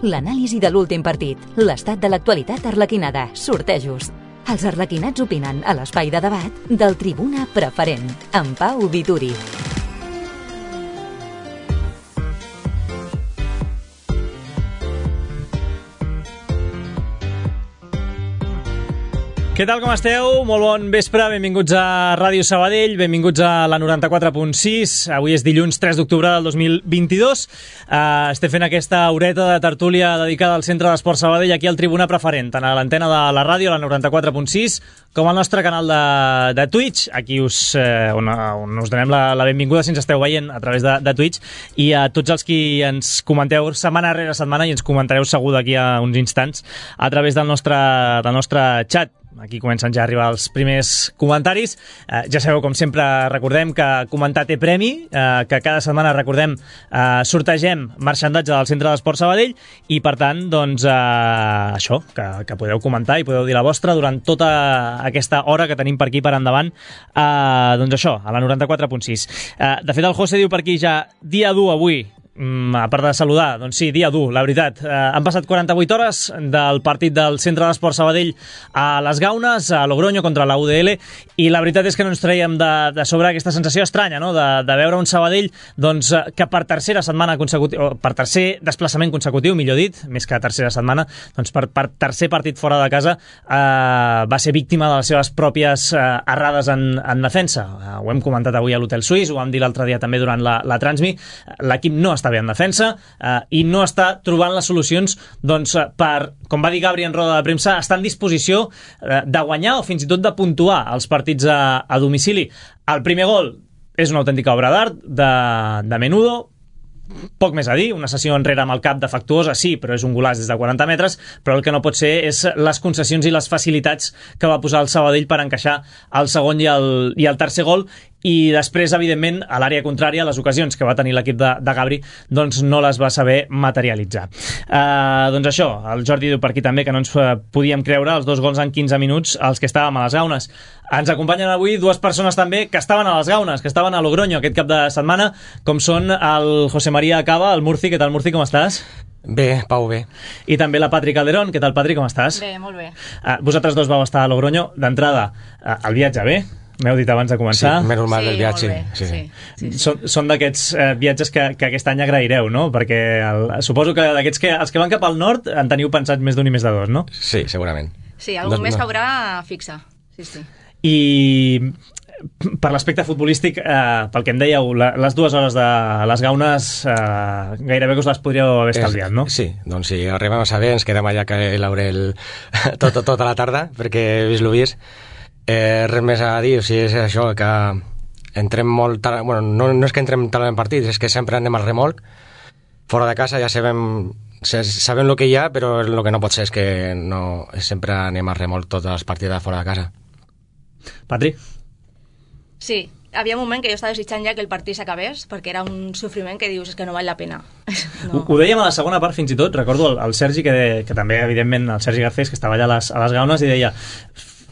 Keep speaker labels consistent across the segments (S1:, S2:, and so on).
S1: l'anàlisi de l'últim partit, l'estat de l'actualitat arlequinada, sortejos. Els arlequinats opinen a l'espai de debat del Tribuna Preferent, amb Pau Vituri.
S2: Què tal, com esteu? Molt bon vespre, benvinguts a Ràdio Sabadell, benvinguts a la 94.6. Avui és dilluns 3 d'octubre del 2022. Estem fent aquesta horeta de tertúlia dedicada al Centre d'Esport Sabadell, aquí al Tribuna Preferent, tant a l'antena de la ràdio, la 94.6, com al nostre canal de Twitch, aquí on us donem la benvinguda si ens esteu veient a través de Twitch, i a tots els qui ens comenteu setmana rere setmana, i ens comentareu segur d'aquí a uns instants a través del nostre xat. Aquí comencen ja a arribar els primers comentaris. Ja sabeu, com sempre, recordem que comentar té premi, que cada setmana, recordem, sortegem marxandatge del Centre d'Esport Sabadell, i per tant, doncs, això, que podeu comentar i podeu dir la vostra durant tota aquesta hora que tenim per aquí per endavant, doncs això, a la 94.6. De fet, el José diu per aquí ja dia dur avui. A part de saludar, doncs sí, dia dur, la veritat. Han passat 48 hores del partit del Centre d'Esport Sabadell a les Gaunes, a Logroño contra la UDL, i la veritat és que no ens traiem de sobre aquesta sensació estranya, no?, de veure un Sabadell doncs, que per tercera setmana consecutiva, per tercer desplaçament consecutiu, millor dit, més que tercera setmana, doncs per tercer partit fora de casa, va ser víctima de les seves pròpies errades en defensa. Ho hem comentat avui a l'Hotel Suís, ho vam dir l'altre dia també durant la Transmi. L'equip no està bé en defensa i no està trobant les solucions doncs, per, com va dir Gabri en roda de premsa, estar en disposició de guanyar o fins i tot de puntuar els partits a domicili. El primer gol és una autèntica obra d'art de Menudo, poc més a dir, una sessió enrere amb el cap defectuosa, sí, però és un golaç des de 40 metres, però el que no pot ser és les concessions i les facilitats que va posar el Sabadell per encaixar el segon i el tercer gol, i després, evidentment, a l'àrea contrària, les ocasions que va tenir l'equip de Gabri doncs no les va saber materialitzar. Doncs això, el Jordi diu per aquí també que no ens podíem creure els 2 gols en 15 minuts els que estàvem a les Gaunes. Ens acompanyen avui 2 persones també que estaven a les Gaunes, que estaven a Logroño aquest cap de setmana, com són el José María Cava, el Murci. Què tal, Murci, com estàs?
S3: Bé, Pau, bé.
S2: I també la Patri Calderón. Què tal, Patri, com estàs?
S4: Bé, molt bé.
S2: Vosaltres dos vau estar a Logroño. D'entrada, el viatge bé? M'heu dit abans de començar.
S3: Sí, menys mal del viatge.
S2: Sí. Són d'aquests viatges que aquest any agraireu, no? Perquè suposo que d'aquests els que van cap al nord en teniu pensat més d'un i més de dos, no?
S3: Sí, segurament.
S4: Sí, algun mes caurà fixa. Sí.
S2: I per l'aspecte futbolístic, pel que em dèieu, les 2 hores de les Gaunes gairebé que us les podríeu haver estalviat, no?
S3: Sí, doncs si arribem a saber ens quedem allà que l'Aurel tota la tarda, perquè he vist l'ho vist. Res més a dir, o sigui, és això, que entrem molt tard, bueno, no és que entrem tard en partits, és que sempre anem al remolc, fora de casa ja sabem el que hi ha, però el que no pot ser és que no, sempre anem al remolc totes les partides de fora de casa.
S2: Patri?
S4: Sí, havia un moment que jo estava desitjant ja que el partit s'acabés, perquè era un sofriment que dius, és que no val la pena.
S2: No. Ho dèiem a la segona part fins i tot, recordo el Sergi, que també, evidentment, el Sergi Garcés, que estava allà a les Gaunes, i deia,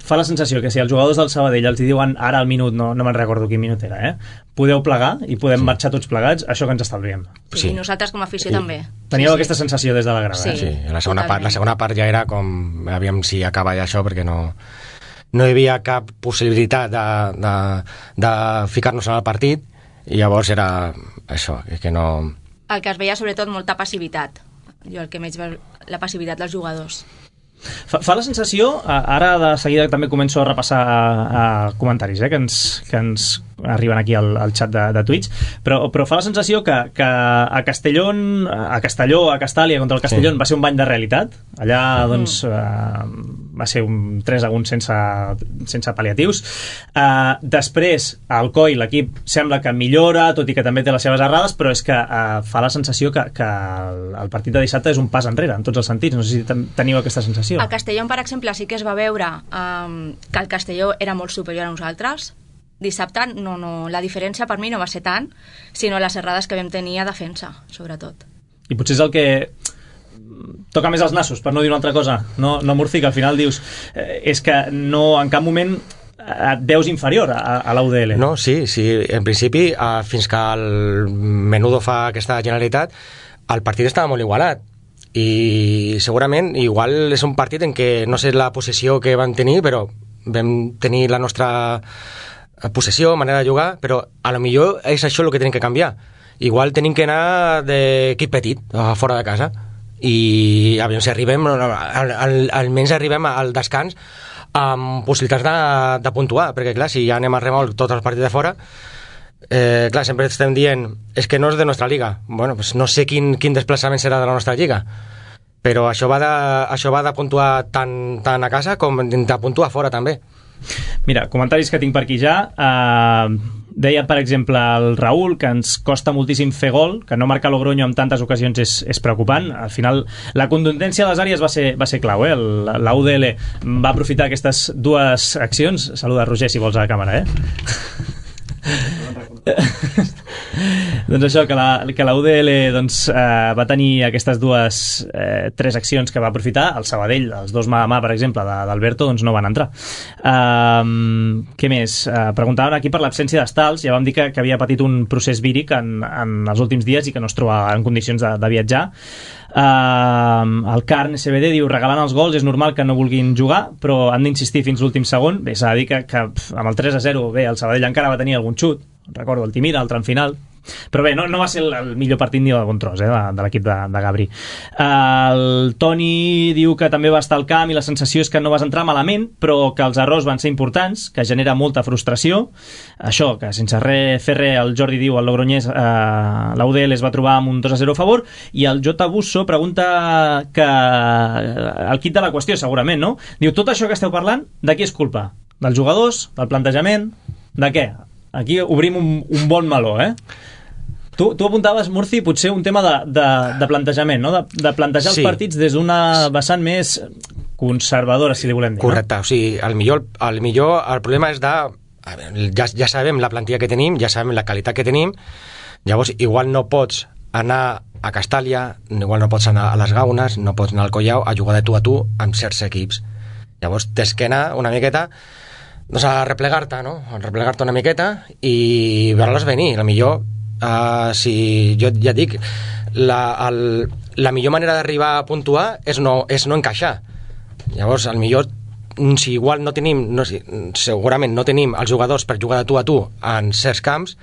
S2: fa la sensació que si els jugadors del Sabadell els diuen ara al minut, no me'n recordo quin minut era, podeu plegar i podem marxar tots plegats, això que ens estalviem.
S4: Sí, i nosaltres com a afició també.
S2: Teníeu aquesta sensació des de la grada.
S3: Sí, la segona part ja era com, aviam si acaba ja això, perquè no hi havia cap possibilitat de ficar-nos en el partit, i llavors era això, que no...
S4: El que es veia sobretot molta passivitat. Jo el que menys veu la passivitat dels jugadors.
S2: Fa la sensació, ara de seguida també començo a repassar comentaris que ens arriben aquí al xat de Twitch, però fa la sensació que a Castelló, a Castàlia contra el Castellón va ser un bany de realitat. Allà doncs va ser un 3-1 sense pal·liatius. Després al COI l'equip sembla que millora, tot i que també té les seves errades, però és que fa la sensació que el partit de dissabte és un pas enrere en tots els sentits. No sé si teniu aquesta sensació.
S4: A Castelló, per exemple, sí que es va veure que el Castelló era molt superior a nosaltres. Dissabte la diferència per mi no va ser tant, sinó les errades que vam tenir a defensa, sobretot.
S2: I potser és el que toca més els nassos, per no dir una altra cosa, no Murci, que al final dius és que no, en cap moment et veus inferior a la UDL.
S3: No, sí, en principi fins que el Menudo fa aquesta generalitat el partit estava molt igualat i segurament igual és un partit en què no sé la possessió que van tenir, però vam tenir la nostra possessió, manera de jugar, però a lo millor és això el que tenim que canviar. Igual tenim que anar d'equip petit fora de casa i aviam si arribem, almenys arribem al descans amb possibilitats de puntuar, perquè clar, si ja anem a remolc tots els partits de fora, clar, sempre estem dient és que no és de nostra liga. Bueno, pues no sé quin desplaçament serà de la nostra lliga, però això va de puntuar tant a casa com de puntuar fora també.
S2: Mira, comentaris que tinc per aquí ja. Deia, per exemple, el Raül que ens costa moltíssim fer gol, que no marca Logroño en tantes ocasions és preocupant. Al final, la contundència de les àrees va ser clau, la UDL va aprofitar aquestes dues accions. Saluda, Roger, si vols a la càmera, doncs això, que la UDL va tenir aquestes tres accions que va aprofitar. El Sabadell, els dos mà a mà, per exemple, d'Alberto, no van entrar. Què més? Preguntaven aquí per l'absència d'Estals. Ja vam dir que havia patit un procés víric en els últims dies i que no es troba en condicions de viatjar. El Carn SBD diu: regalant els gols és normal que no vulguin jugar, però han d'insistir fins l'últim segon. Bé, s'ha de dir que amb el 3-0 bé, el Sabadell encara va tenir algun xut, recordo el Timira, el tram final, però bé, no va ser el millor partit ni de bon tros de l'equip de Gabri. El Toni diu que també va estar al camp i la sensació és que no vas entrar malament, però que els errors van ser importants, que genera molta frustració. Això, que sense fer res, el Jordi diu, el Logroñés, la UDL es va trobar amb un 2-0 a favor. I el J. Busso pregunta que el kit de la qüestió, segurament, no? Diu, tot això que esteu parlant, de qui és culpa? Dels jugadors? Del plantejament? De què? Aquí obrim un bon meló, Tu apuntaves, Murci, potser un tema de plantejament, no? De plantejar els partits des d'una vessant més conservadora, si li volem dir.
S3: Correcte, o sigui, al millor el problema és ja sabem la plantilla que tenim, ja sabem la qualitat que tenim, llavors igual no pots anar a Castàlia, igual no pots anar a les Gaunes, no pots anar al Collao a jugar de tu a tu amb certs equips. Llavors tens que anar una miqueta a replegar-te, no? A replegar-te una miqueta i veure-les venir. La millor, si jo ja dic, la millor manera d'arribar a puntuar és no encaixar. Llavors, al millor, si igual no tenim, segurament no tenim els jugadors per jugar de tu a tu en certs camps,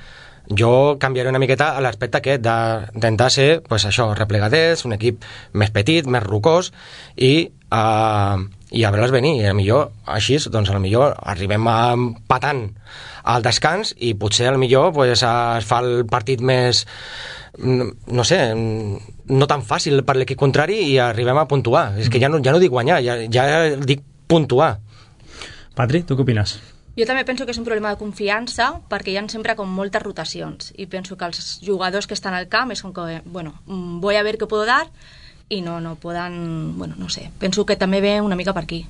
S3: jo canviaré una miqueta a l'aspecte aquest d'intentar ser, pues això, replegadets, un equip més petit, més rocós i a veure-les venir. I millor així, doncs millor arribem empatant al descans i potser millor pues, es fa el partit més, no sé, no tan fàcil per l'equip contrari i arribem a puntuar. És que ja no dic guanyar, ja dic puntuar.
S2: Patri, tu què opines?
S4: Jo també penso que és un problema de confiança perquè hi ha sempre com moltes rotacions i penso que els jugadors que estan al camp és com que, bueno, voy a ver qué puedo dar i no poden, bueno, no sé, penso que també ve una mica per aquí.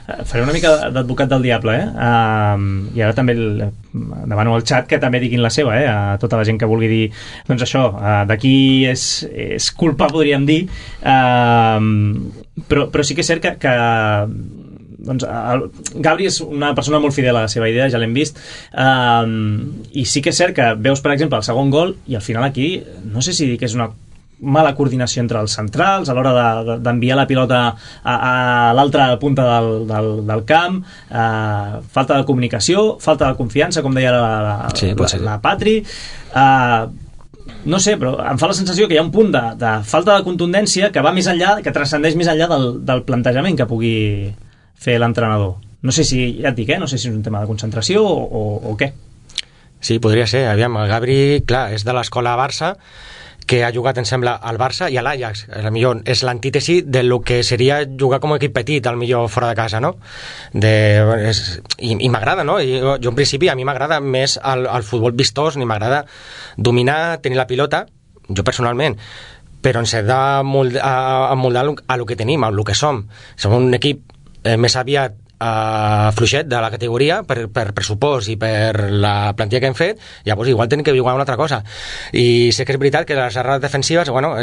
S2: Faré una mica d'advocat del diable, i ara també demano al xat que també diguin la seva, a tota la gent que vulgui dir, doncs això, d'aquí és culpa, podríem dir, però sí que és cert que doncs, Gabri és una persona molt fidel a la seva idea, ja l'hem vist, i sí que és cert que veus, per exemple, el segon gol i al final aquí, no sé si dir que és una mala coordinació entre els centrals a l'hora d'enviar la pilota a l'altra punta del camp, falta de comunicació, falta de confiança, com deia la Patri, no sé, però em fa la sensació que hi ha un punt de falta de contundència que va més enllà, que transcendeix més enllà del plantejament que pugui fer l'entrenador. No sé si, ja et dic, no sé si és un tema de concentració o què.
S3: Sí, podria ser. Aviam, el Gabri, clar, és de l'escola Barça, que ha jugat, em sembla, al Barça i a l'Ajax. Millor és l'antítesi del que seria jugar com a equip petit, al millor fora de casa, no? I m'agrada, no? Jo en principi, a mi m'agrada més el futbol vistós, ni m'agrada dominar, tenir la pilota, jo personalment, però ens hem d'amoldar a lo que tenim, a lo que som. Som un equip més aviat fluixet de la categoria per pressupost i per la plantilla que hem fet, llavors igual tenim que jugar una altra cosa. I sé que és veritat que les errades defensives, bueno,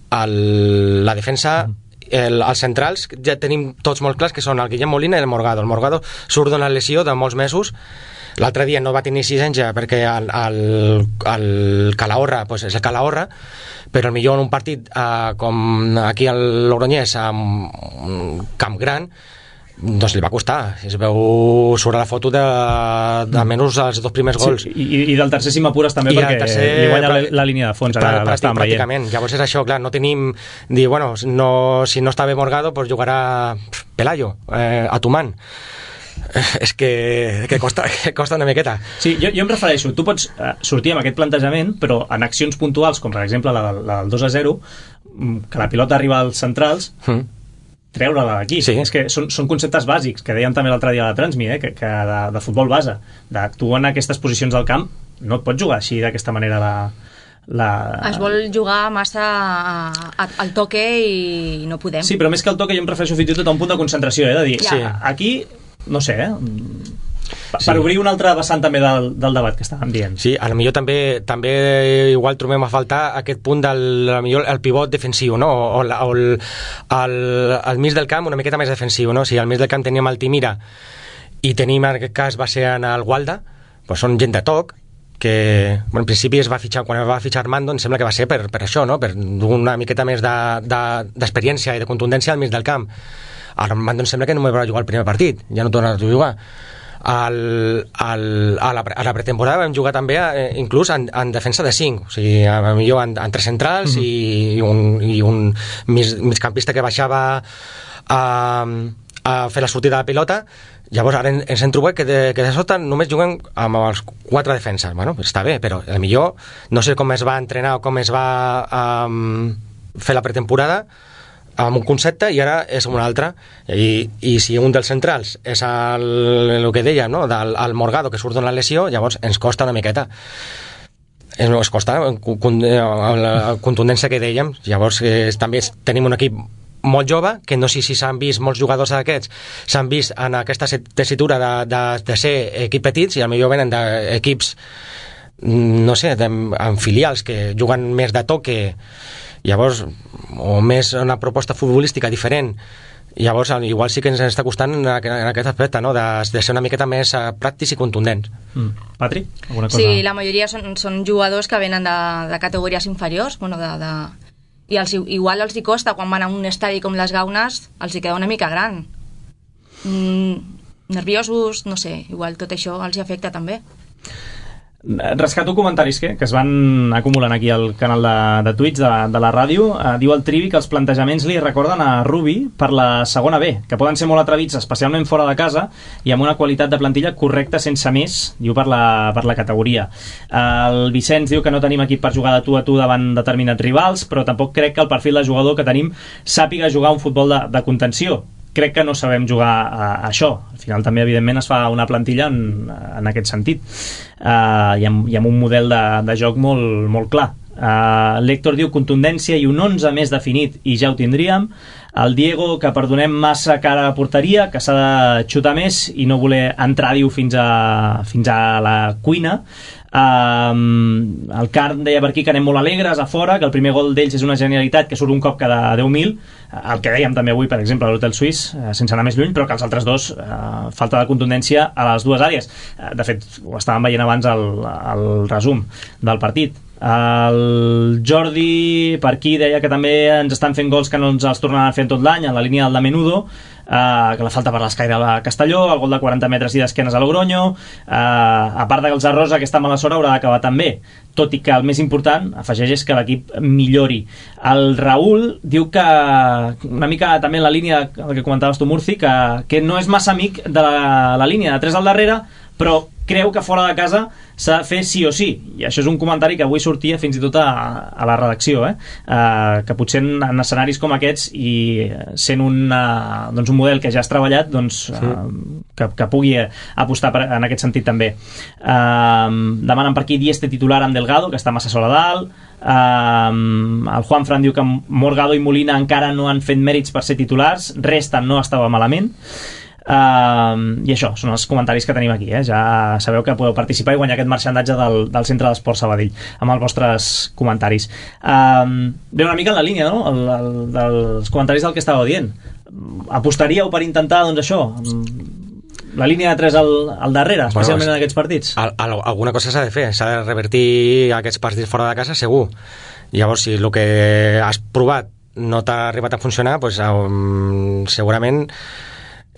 S3: la defensa, els centrals ja tenim tots molt clars que són el Guillem Molina i el Morgado. El Morgado surt d'una lesió de molts mesos, L'altre dia no va tenir exigència perquè el Calahorra pues és el Calahorra, però millor en un partit com aquí al Logroñés, amb un camp gran, doncs li va costar. Es veu sobre la foto de menys els 2 primers gols.
S2: Sí, i del tercer si m'apures també, perquè li guanya la línia de fons, ara l'estàvem veient.
S3: Pràcticament. Llavors és això, clar, no tenim... Dir, bueno, no, si no està bé Morgado, pues jugarà Pelayo, a Tuman. És que costa una miqueta.
S2: Sí, jo em refereixo, tu pots sortir amb aquest plantejament, però en accions puntuals, com per exemple la del 2-0, que la pilota arriba als centrals, treure-la d'aquí. Sí. És que són conceptes bàsics, que dèiem també l'altre dia a la Transmi, que de futbol base, d'actuar en aquestes posicions del camp, no et pots jugar així d'aquesta manera es vol jugar massa al toque i no podem. Sí, però més que al toque jo em refereixo fins i tot a un punt de concentració, de dir, aquí, no sé, per obrir una altra vessant també del debat que estàvem dient.
S3: Sí, a lo millor també igual trobem a faltar aquest punt el pivot defensiu, no? O al mig del camp una miqueta més defensiu, no? Si al mig del camp teníem el Timira i tenim en aquest cas va ser en el Gualda, doncs són gent de toc que, bueno, en principi quan es va fitxar Armando em sembla que va ser per això, no? Per una miqueta més d'experiència i de contundència al mig del camp. Armando em sembla que no m'hi va jugar el primer partit, ja no torna a jugar. A la pretemporada vam jugar també inclús en defensa de 5, o sigui, millor en 3 centrals i un migcampista que baixava a fer la sortida de la pilota. Llavors ara ens hem trobat que de sota només juguem amb els 4 defenses. Bueno, està bé, però potser no sé com es va entrenar o com es va fer la pretemporada amb un concepte i ara és un altre, i si un dels centrals és el que dèiem, no? El Morgado, que surt d'una lesió, llavors ens costa una miqueta, ens costa la contundència que dèiem. Llavors també tenim un equip molt jove, que no sé si s'han vist molts jugadors d'aquests, s'han vist en aquesta tessitura de ser equips petits i potser venen d'equips, no sé, amb filials que juguen més de toque, llavors, o més una proposta futbolística diferent. Llavors igual sí que ens està costant en aquest aspecte, no? De ser una miqueta més pràctics i contundents.
S2: Patri, alguna cosa?
S4: Sí, la majoria són jugadors que venen de categories inferiors, bueno, i igual els hi costa quan van a un estadi com les Gaunes, els hi queda una mica gran, nerviosos, no sé, igual tot això els hi afecta també.
S2: Rescato comentaris que es van acumulant aquí al canal de Twitch de la ràdio. Diu el Trivi que els plantejaments li recorden a Rubi per la segona B, que poden ser molt atrevits, especialment fora de casa, i amb una qualitat de plantilla correcta sense més, diu per la categoria. El Vicenç diu que no tenim equip per jugar de tu a tu davant determinats rivals, però tampoc crec que el perfil de jugador que tenim sàpiga jugar un futbol de contenció. Crec que no sabem jugar a això. Al final també, evidentment, es fa una plantilla en aquest sentit, i amb un model de joc molt clar. L'Héctor diu contundència i un 11 més definit i ja ho tindríem. El Diego, que perdonem massa cara a la porteria, que s'ha de xutar més i no voler entrar, diu, fins a la cuina. El Carn deia per aquí que anem molt alegres a fora, que el primer gol d'ells és una genialitat que surt un cop cada 10.000, el que dèiem també avui, per exemple, a l'Hotel Suís, sense anar més lluny, però que els altres dos, falta de contundència a les dues àrees. De fet, ho estàvem veient abans al resum del partit. El Jordi per aquí deia que també ens estan fent gols que no ens els tornaran fent tot l'any, en la línia del de Menudo, que la falta per l'escaire a Castelló, el gol de 40 metres i d'esquenes a Logroño, a part que els Arrosa aquesta mala sort haurà d'acabar també, tot i que el més important, afegeix, és que l'equip millori. El Raül diu que una mica també en la línia el que comentaves tu, Murci, que no és massa amic de la línia de 3 al darrere, però creu que fora de casa s'ha de fer sí o sí, i això és un comentari que avui sortia fins i tot a la redacció, que potser en escenaris com aquests i sent un model que ja has treballat, doncs, que pugui apostar en aquest sentit també. Demanen per aquí Dieste titular amb Delgado, que està massa sola dalt. El Juan Fran diu que Morgado i Molina encara no han fet mèrits per ser titulars, Resta no estava malament. I això, són els comentaris que tenim aquí, ja sabeu que podeu participar i guanyar aquest marxandatge del Centre d'Esport Sabadell amb els vostres comentaris. Ve una mica en la línia, no? dels comentaris del que estàveu dient. Apostaríeu per intentar, doncs, això, la línia de 3 al darrere, especialment en aquests partits?
S3: Alguna cosa s'ha de fer, s'ha de revertir aquests partits fora de casa, segur. Llavors, si el que has provat no t'ha arribat a funcionar, doncs, segurament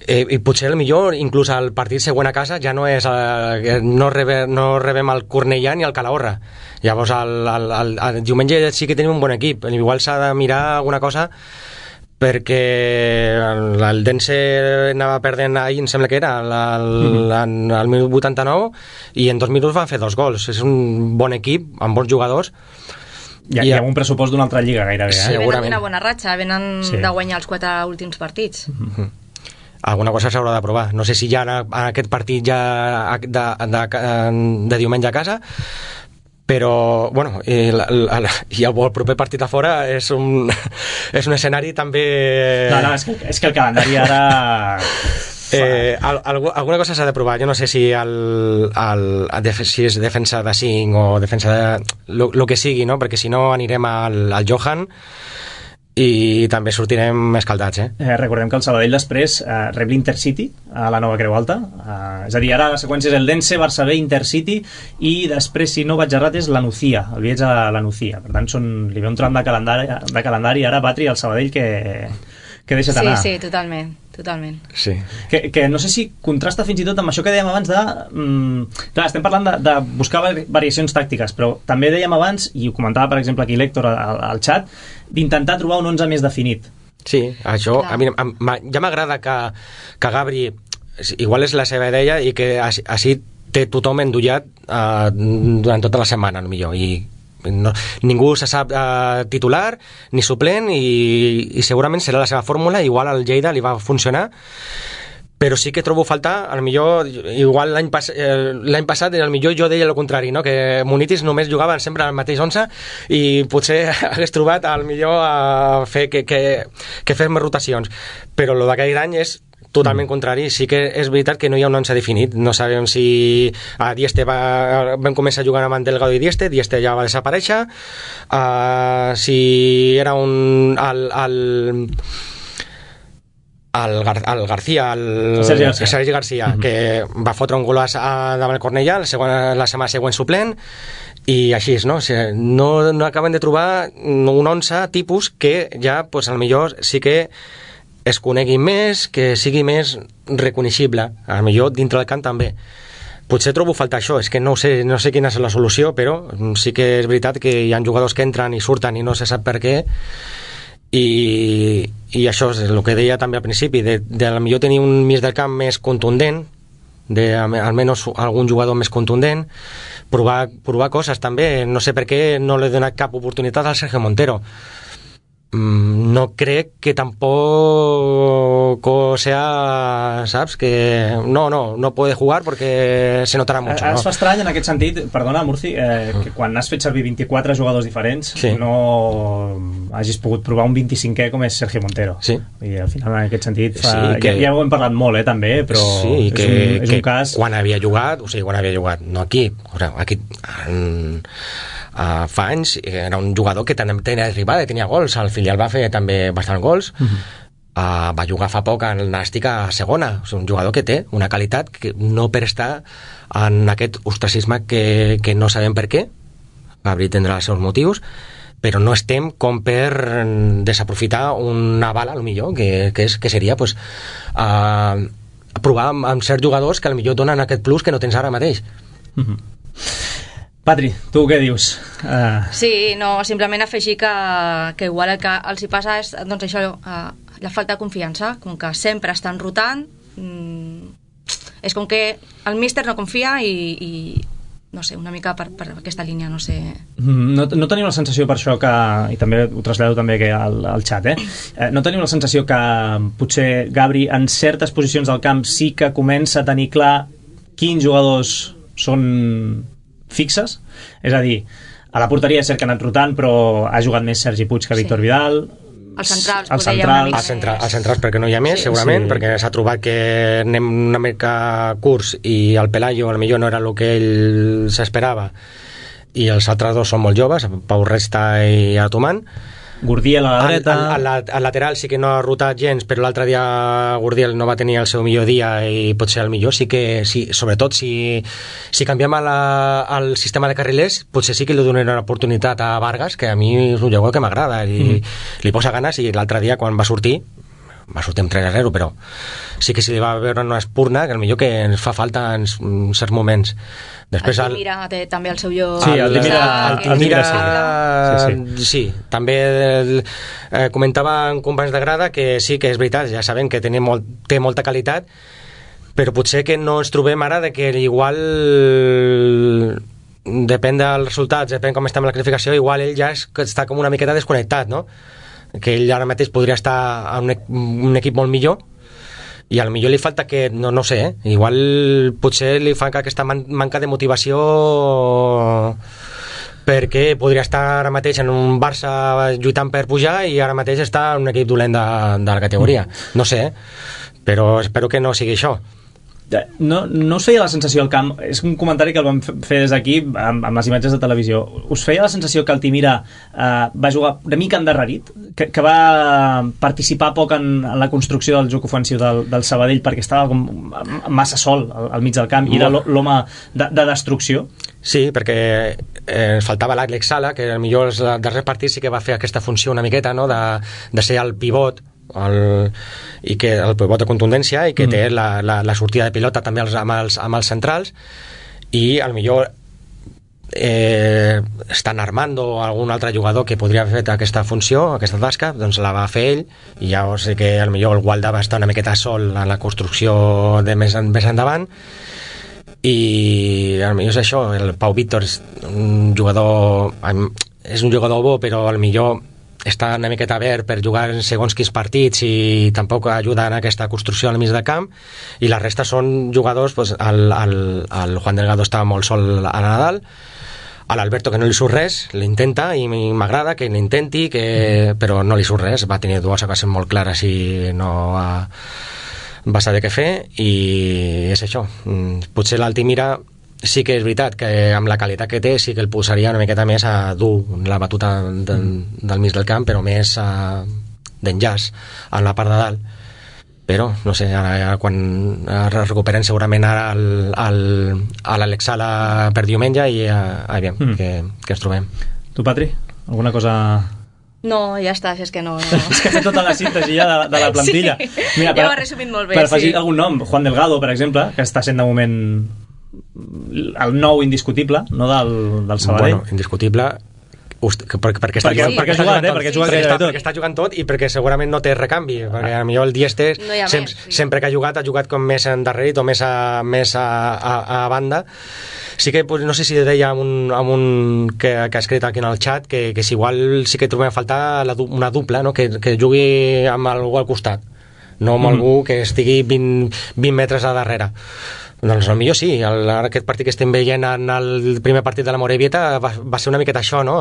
S3: i potser el millor inclús el partit següent a casa ja no és no rebem el Cornellà ni el Calahorra. Llavors el diumenge sí que tenim un bon equip, igual s'ha de mirar alguna cosa, perquè el Dense anava perdent ahir, em sembla que era al minut 89, i en 2 minuts van fer 2 gols. És un bon equip amb bons jugadors
S2: i amb un pressupost d'una altra lliga gairebé,
S4: Venen d'una bona ratxa, venen de guanyar els 4 últims partits.
S3: Alguna cosa s'haurà de provar. No sé si ja en aquest partit ja de diumenge a casa, però bueno, i el proper partit a fora és un escenari també...
S2: No, és que el calendari ara...
S3: alguna cosa s'ha de provar. Jo no sé si si és defensa de 5 o defensa de... lo que sigui, no? Perquè si no anirem al Johan i també sortirem escaldats,
S2: Recordem que el Sabadell després rep l'Intercity a la Nova Creu Alta, és a dir, ara la seqüència és el Dense, Barça B, Intercity, i després, si no vaig errat, és la Nucía, el viatge a la Nucía. Per tant, li ve un tram de calendari ara, Patri, al Sabadell que deixa't anar.
S4: Sí, totalment.
S3: Sí.
S2: Que no sé si contrasta fins i tot amb això que dèiem abans de... clar, estem parlant de buscar variacions tàctiques, però també dèiem abans, i ho comentava per exemple aquí l'Héctor al xat, d'intentar trobar un 11 més definit.
S3: Sí, això a mi ja m'agrada que Gabri, igual és la seva idea, i que així té tothom endollat durant tota la setmana, millor, i ningú se sap titular ni suplent, i segurament serà la seva fórmula. Igual al Lleida li va funcionar, però sí que trobo faltar, igual l'any passat el millor jo deia el contrari, no? Que Munitis només jugava sempre al mateix 11 i potser hagués trobat al millor a fer que fes més rotacions, però el d'aquell any és totalment contrari. Sí que és veritat que no hi ha un 11 definit. No sabem si a Dieste vam començar jugant amb Delgado i Dieste ja va desaparèixer, si era el García, el Sergi García, que va fotre un golaç davant el Cornellà, la setmana següent suplent, i així, no? O sigui, no acaben de trobar un 11 tipus que ja, pues, al millor sí que es conegui més, que sigui més reconeixible, al millor dintre del camp també. Potser trobo faltar això, és que no sé quina és la solució, però sí que és veritat que hi ha jugadors que entren i surten i no se sap per què, i això és el que deia també al principi, de al millor tenir un mig del camp més contundent, almenys algun jugador més contundent, provar coses també. No sé per què no li he donat cap oportunitat al Sergio Montero. No crec que tampoco sea, ¿sabes? Que no puede jugar porque se notará mucho.
S2: Es fa estrany en aquest sentit, perdona, Murci, que quan has fet servir 24 jugadors diferents no hagis pogut provar un 25è com és Sergio Montero.
S3: Sí.
S2: I al final en aquest sentit ja ho hem parlat molt, també, però
S3: sí,
S2: és un cas...
S3: Quan havia jugat, no aquí, fa anys era un jugador que tenia arribada, tenia gols, al filial va fer també bastant gols, va jugar fa poc en el Nàstic a segona. És un jugador que té una qualitat que no per estar en aquest ostracisme que no sabem per què. Gabri tindrà els seus motius, però no estem com per desaprofitar una bala, millor que seria pues, provar amb certs jugadors que potser donen aquest plus que no tens ara mateix.
S2: Patri, tu què dius?
S4: Sí, no, simplement afegir que igual el que els hi passa és doncs això, la falta de confiança, com que sempre estan rotant, és com que el míster no confia i no sé, una mica per aquesta línia, no sé.
S2: No teniu la sensació per això que, i també ho trasllado també al xat, no teniu la sensació que potser Gabri en certes posicions del camp sí que comença a tenir clar quins jugadors són fixes? És a dir, a la porteria és cert que ha anat rotant, però ha jugat més Sergi Puig que Víctor Vidal.
S4: Els centrals,
S3: els centrals perquè no hi ha més, segurament, perquè s'ha trobat que anem una mica curts i el Pelayo potser no era el que ell s'esperava, i els altres dos són molt joves, Pau Resta i Atoman.
S2: Gurdiel a la dreta...
S3: Al lateral sí que no ha rotat gens, però l'altre dia Gurdiel no va tenir el seu millor dia i potser el millor sí que... Sí, sobretot si canviem el sistema de carrilers, potser sí que li donaré una oportunitat a Vargas, que a mi és un jugador que m'agrada i li posa ganes, i l'altre dia quan va sortir amb 3-0, però sí que si li va veure una espurna que millor que ens fa falta en certs moments. Després
S4: Altimira té també el seu lloc.
S2: Sí, Altimira
S3: sí. També comentava en companys de grada que sí que és veritat, ja sabem que té molta qualitat, però potser que no ens trobem ara de que igual depèn dels resultats, depèn com estem en la classificació, igual ell ja està com una miqueta desconnectat, no? Que ell ara mateix podria estar a un equip molt millor i al millor li falta que, no sé, igual potser li fa aquesta manca de motivació perquè podria estar ara mateix en un Barça lluitant per pujar i ara mateix està en un equip dolent de la categoria, no sé, però espero que no sigui això.
S2: No us feia la sensació al camp, és un comentari que el vam fer des d'aquí amb les imatges de televisió, us feia la sensació que Altimira va jugar una mica endarrerit, que va participar poc en la construcció del joc ofensiu del Sabadell perquè estava com massa sol al mig del camp i era l'home de destrucció?
S3: Sí, perquè faltava l'Àlex Sala, que millor els darrers partits sí que va fer aquesta funció una miqueta, no? de ser el pivot, i que el pivot de contundència i que té la sortida de pilota també amb els centrals, i al millor estan Armando o algun altre jugador que podria haver fet aquesta funció, aquesta tasca, doncs la va fer ell, i ja sé que al millor el Gualda va estar una miqueta sol en la construcció de més endavant, i al millor és això. El Pau Víctor és un jugador bo, però al millor està una miqueta verd per jugar en segons quins partits i tampoc ajuda en aquesta construcció al mig del camp, i la resta són jugadors, pues, el Juan Delgado estava molt sol a Nadal, a l'Alberto que no li surt res, l'intenta i m'agrada que l'intenti, però no li surt res, va tenir dues ocasions molt clares i no va saber què fer, i és això. Potser l'Altimira sí que és veritat que amb la qualitat que té sí que el posaria una miqueta més a dur la batuta del mig del camp, però més d'enllaç en la part de dalt. Però no sé, ara quan recuperen segurament ara l'Àlex Sala per diumenge i aviam que ens trobem.
S2: Tu, Patri, alguna cosa?
S4: No, ja està, és que no.
S2: És que ha fet tota la síntesi ja de la plantilla.
S4: Sí,
S2: mira,
S4: ja ho ha resumit molt bé.
S2: Per afegir algun nom, Juan Delgado, per exemple, que està sent de moment el nou indiscutible, no del Sabadell.
S3: Bueno, indiscutible perquè està jugant tot i perquè segurament no té recanvi, perquè a millor el Dieste sempre que ha jugat com més endarrerit o més a banda. Sí que no sé si deia amb un que ha escrit aquí en el chat que si igual sí que trobem a faltar una dupla, no? que jugui amb algú al costat, no amb algú que estigui 20 metres a darrere. Doncs potser sí, aquest partit que estem veient en el primer partit de la Morevieta va ser una miqueta això, no?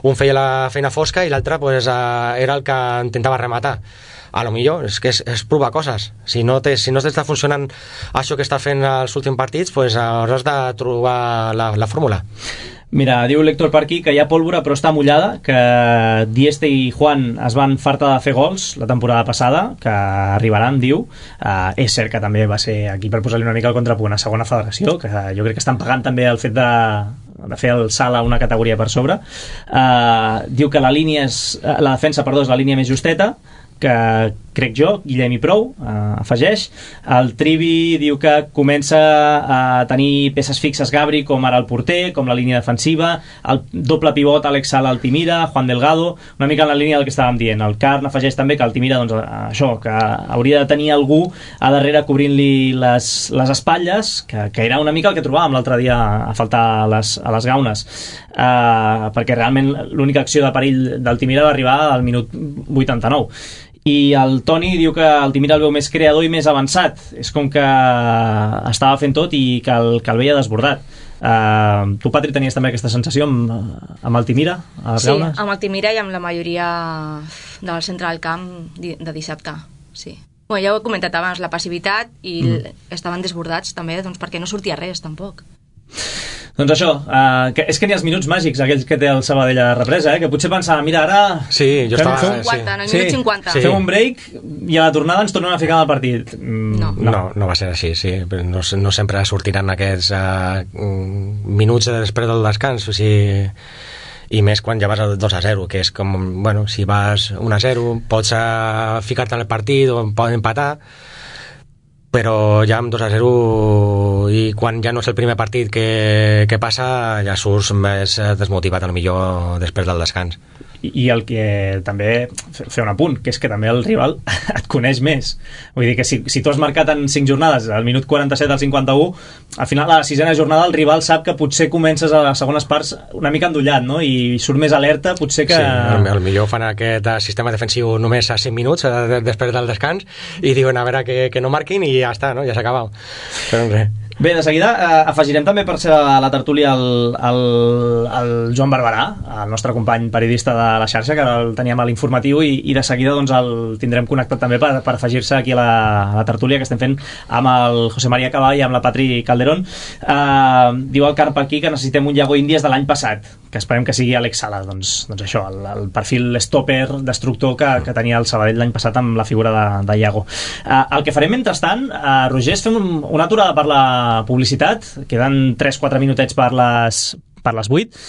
S3: Un feia la feina fosca i l'altre pues, era el que intentava rematar. A lo millor és que és provar coses. Si no t'està funcionant això que està fent els últims partits, pues hauràs de trobar la fórmula.
S2: Mira, diu l'Héctor per aquí que hi ha pólvora però està mullada, que Dieste i Juan es van fartar de fer gols la temporada passada, que arribaran, diu. És cert que també va ser aquí per posar-li una mica el contrapunt a segona federació, que jo crec que estan pagant també el fet de fer el salt a una categoria per sobre. Diu que la defensa és la línia més justeta, que crec jo, Guillem i prou, afegeix. El Trivi diu que comença a tenir peces fixes Gabri, com ara el porter, com la línia defensiva, el doble pivot Àlex Sala, Altimira, Juan Delgado, una mica en la línia del que estàvem dient. El Carn afegeix també que Altimira, doncs, això, que hauria de tenir algú a darrere cobrint-li les espatlles, que era una mica el que trobàvem l'altre dia a faltar a les gaunes, perquè realment l'única acció de perill d'Altimira va arribar al minut 89. I el Toni diu que Altimira el veu més creador i més avançat, és com que estava fent tot i que el veia desbordat. Tu, Patri, tenies també aquesta sensació amb Altimira a les gaunes?
S4: Sí, amb Altimira i amb la majoria del centre del camp de dissabte, sí. Bueno, ja ho he comentat abans, la passivitat i estaven desbordats també, doncs perquè no sortia res tampoc.
S2: Doncs això, és que n'hi ha els minuts màgics, aquells que té el Sabadell a la represa, que potser pensava, mira, ara...
S3: Sí, jo estava...
S4: 50, en el minut 50.
S2: Fem un break i a la tornada ens tornem a ficar en el partit.
S3: No va ser així, sí. No sempre sortiran aquests minuts després del descans, o sigui... I més quan ja vas a 2-0, que és com, bueno, si vas 1-0 pots ficar-te en el partit o poden empatar, però ja amb 2-0 i quan ja no és el primer partit que passa, ja surts més desmotivat a lo millor després del descans.
S2: I el que també fer un apunt, que és que també el rival et coneix més, vull dir que si tu has marcat en 5 jornades, al minut 47 al 51, al final a la 6ª jornada el rival sap que potser comences a les segones parts una mica endollat, no? I surt més alerta, potser que...
S3: Sí, potser fan aquest sistema defensiu només a 5 minuts després del descans i diuen a veure que no marquin i ja està, no? Ja s'ha acabat. Però res.
S2: Bé, de seguida afegirem també per ser a la tertúlia el Joan Barberà, el nostre company periodista de la xarxa, que ara el teníem a l'informatiu, i de seguida doncs, el tindrem connectat també per afegir-se aquí a la tertúlia que estem fent amb el José María Caball i amb la Patri Calderón. Diu el Carp aquí que necessitem un Iago Índies de l'any passat, que esperem que sigui Alex Sala. Doncs això, el perfil stopper, destructor que tenia el Sabadell l'any passat amb la figura de Iago. El que farem mentrestant, Roger, és fem una aturada per la publicitat, queden 3-4 minutets per les 8,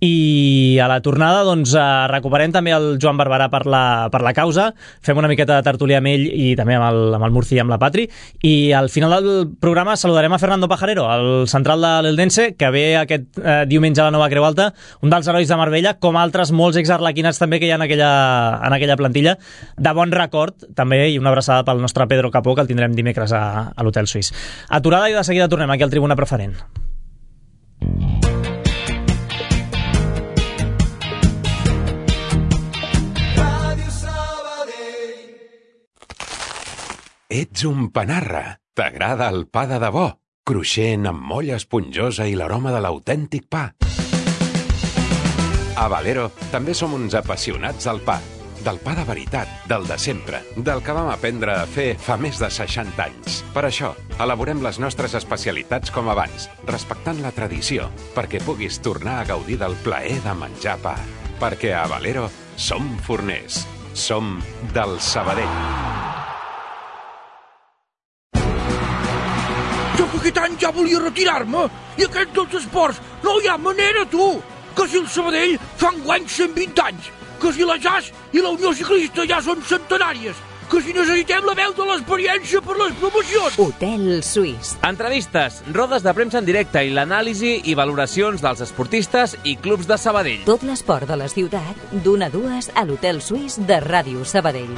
S2: i a la tornada doncs recuperem també el Joan Barberà per la causa, fem una miqueta de tertúlia amb ell i també amb el Murci i amb la Patri, i al final del programa saludarem a Fernando Pajarero, el central de l'Eldense, que ve aquest diumenge a la Nova Creu Alta, un dels herois de Marbella, com altres molts exarlequinats també que hi ha en aquella plantilla, de bon record també, i una abraçada pel nostre Pedro Capó, que el tindrem dimecres a l'Hotel Suís. Aturada i de seguida tornem aquí al Tribuna Preferent.
S5: Ets un panarra. T'agrada el pa de debò, cruixent amb molla esponjosa i l'aroma de l'autèntic pa. A Valero també som uns apassionats del pa de veritat, del de sempre, del que vam aprendre a fer fa més de 60 anys. Per això, elaborem les nostres especialitats com abans, respectant la tradició, perquè puguis tornar a gaudir del plaer de menjar pa. Perquè a Valero som forners, som del Sabadell.
S6: Jo que aquest any ja volia retirar-me i aquest dels esports no hi ha manera, tu! Que si el Sabadell fa enguany 120 anys, que si la Jazz i la Unió Ciclista ja són centenàries, que si necessitem la veu de l'experiència per les promocions.
S1: Hotel Suís.
S7: Entrevistes, rodes de premsa en directe i l'anàlisi i valoracions dels esportistes i clubs de Sabadell.
S1: Tot l'esport de la ciutat, d'1 a 2 a l'Hotel Suís de Ràdio Sabadell.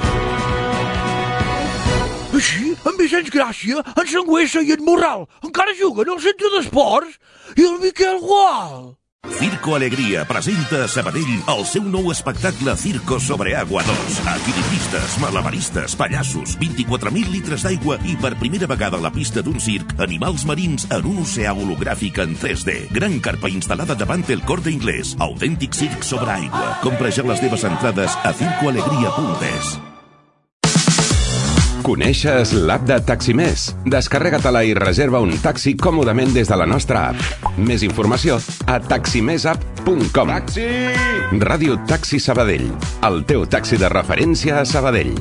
S6: Així, en Vicenç Gràcia, en Sangüesa i en Morral encara juguen al centre d'esports i el Miquel Gual.
S8: Circo Alegria presenta a Sabadell el seu nou espectacle Circo sobre Agua 2. Equilibristes, malabaristes, pallassos, 24.000 litres d'aigua i per primera vegada a la pista d'un circ, animals marins en un oceà hologràfic en 3D. Gran carpa instal·lada davant el Corte Inglés. Autèntic circ sobre aigua. Compra ja les teves entrades a circoalegria.es.
S5: Coneixes l'app de Taximés? Descarrega-te-la i reserva un taxi còmodament des de la nostra app. Més informació a taximesapp.com. Taxi! Ràdio Taxi Sabadell, el teu taxi de referència a Sabadell.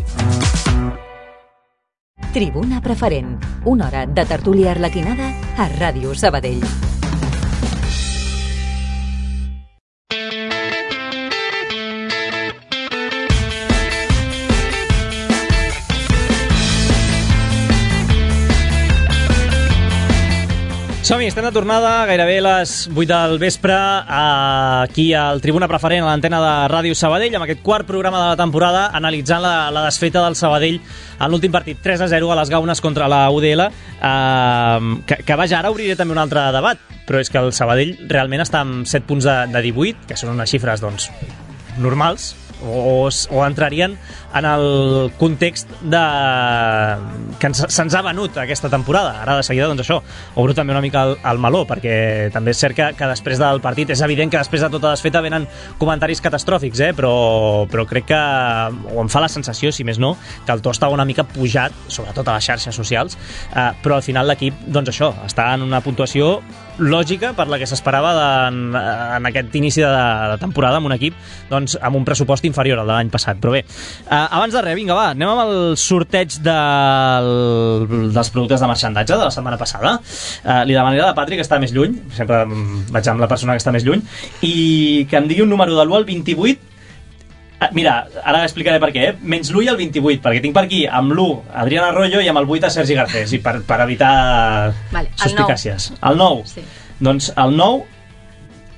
S1: Tribuna Preferent, una hora de tertúlia arlequinada a Ràdio Sabadell.
S2: Som-hi, estem de tornada, gairebé les 8 del vespre, aquí al Tribuna Preferent, a l'antena de Ràdio Sabadell, amb aquest quart programa de la temporada, analitzant la desfeta del Sabadell en l'últim partit, 3-0 a les Gaunes contra la UDL, que vaja, ara obriré també un altre debat, però és que el Sabadell realment està amb 7 punts de 18, que són unes xifres, doncs, normals, o entrarien en el context que se'ns ha venut aquesta temporada. Ara de seguida, doncs això, obro també una mica el meló, perquè també és cert que després del partit, és evident que després de tota desfeta venen comentaris catastròfics, però crec que, o em fa la sensació, si més no, que el to està una mica pujat, sobretot a les xarxes socials, però al final l'equip, doncs això, està en una puntuació lògica per la que s'esperava en aquest inici de temporada amb un equip doncs, amb un pressupost inferior al de l'any passat. Però bé, abans de res, vinga, va, anem amb el sorteig dels productes de marxandatge de la setmana passada. Li demanaria a la Patri, que està més lluny, sempre vaig amb la persona que està més lluny, i que em digui un número de l'1 al 28. Mira, ara explicaré per què, menys l'1 i el 28, perquè tinc per aquí amb l'1 Adrián Arroyo i amb el 8 a Sergi Garcés, i per evitar suspicàcies. El 9. Sí. Doncs el 9,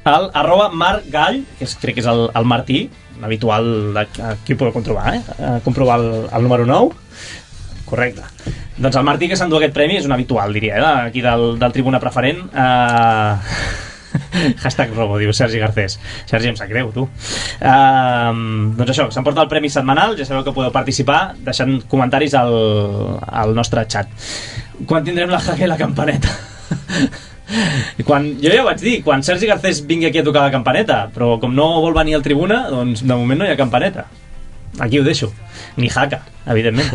S2: el @Marc Gall, que crec que és el Martí, un habitual aquí ho podeu comprovar, comprovar el número 9. Correcte. Doncs el Martí, que s'endú aquest premi, és un habitual, diria, aquí del Tribuna Preferent. Hashtag robo, diu Sergi Garcés. Sergi, em sap greu, tu. Doncs això, s'emporta el premi setmanal. Ja sabeu que podeu participar deixant comentaris al nostre xat. Quan tindrem la jaque i la campaneta? Jo ja ho vaig dir, quan Sergi Garcés vingui aquí a tocar la campaneta, però com no vol venir al Tribuna, doncs de moment no hi ha campaneta. Aquí ho deixo. Ni jaca, evidentment.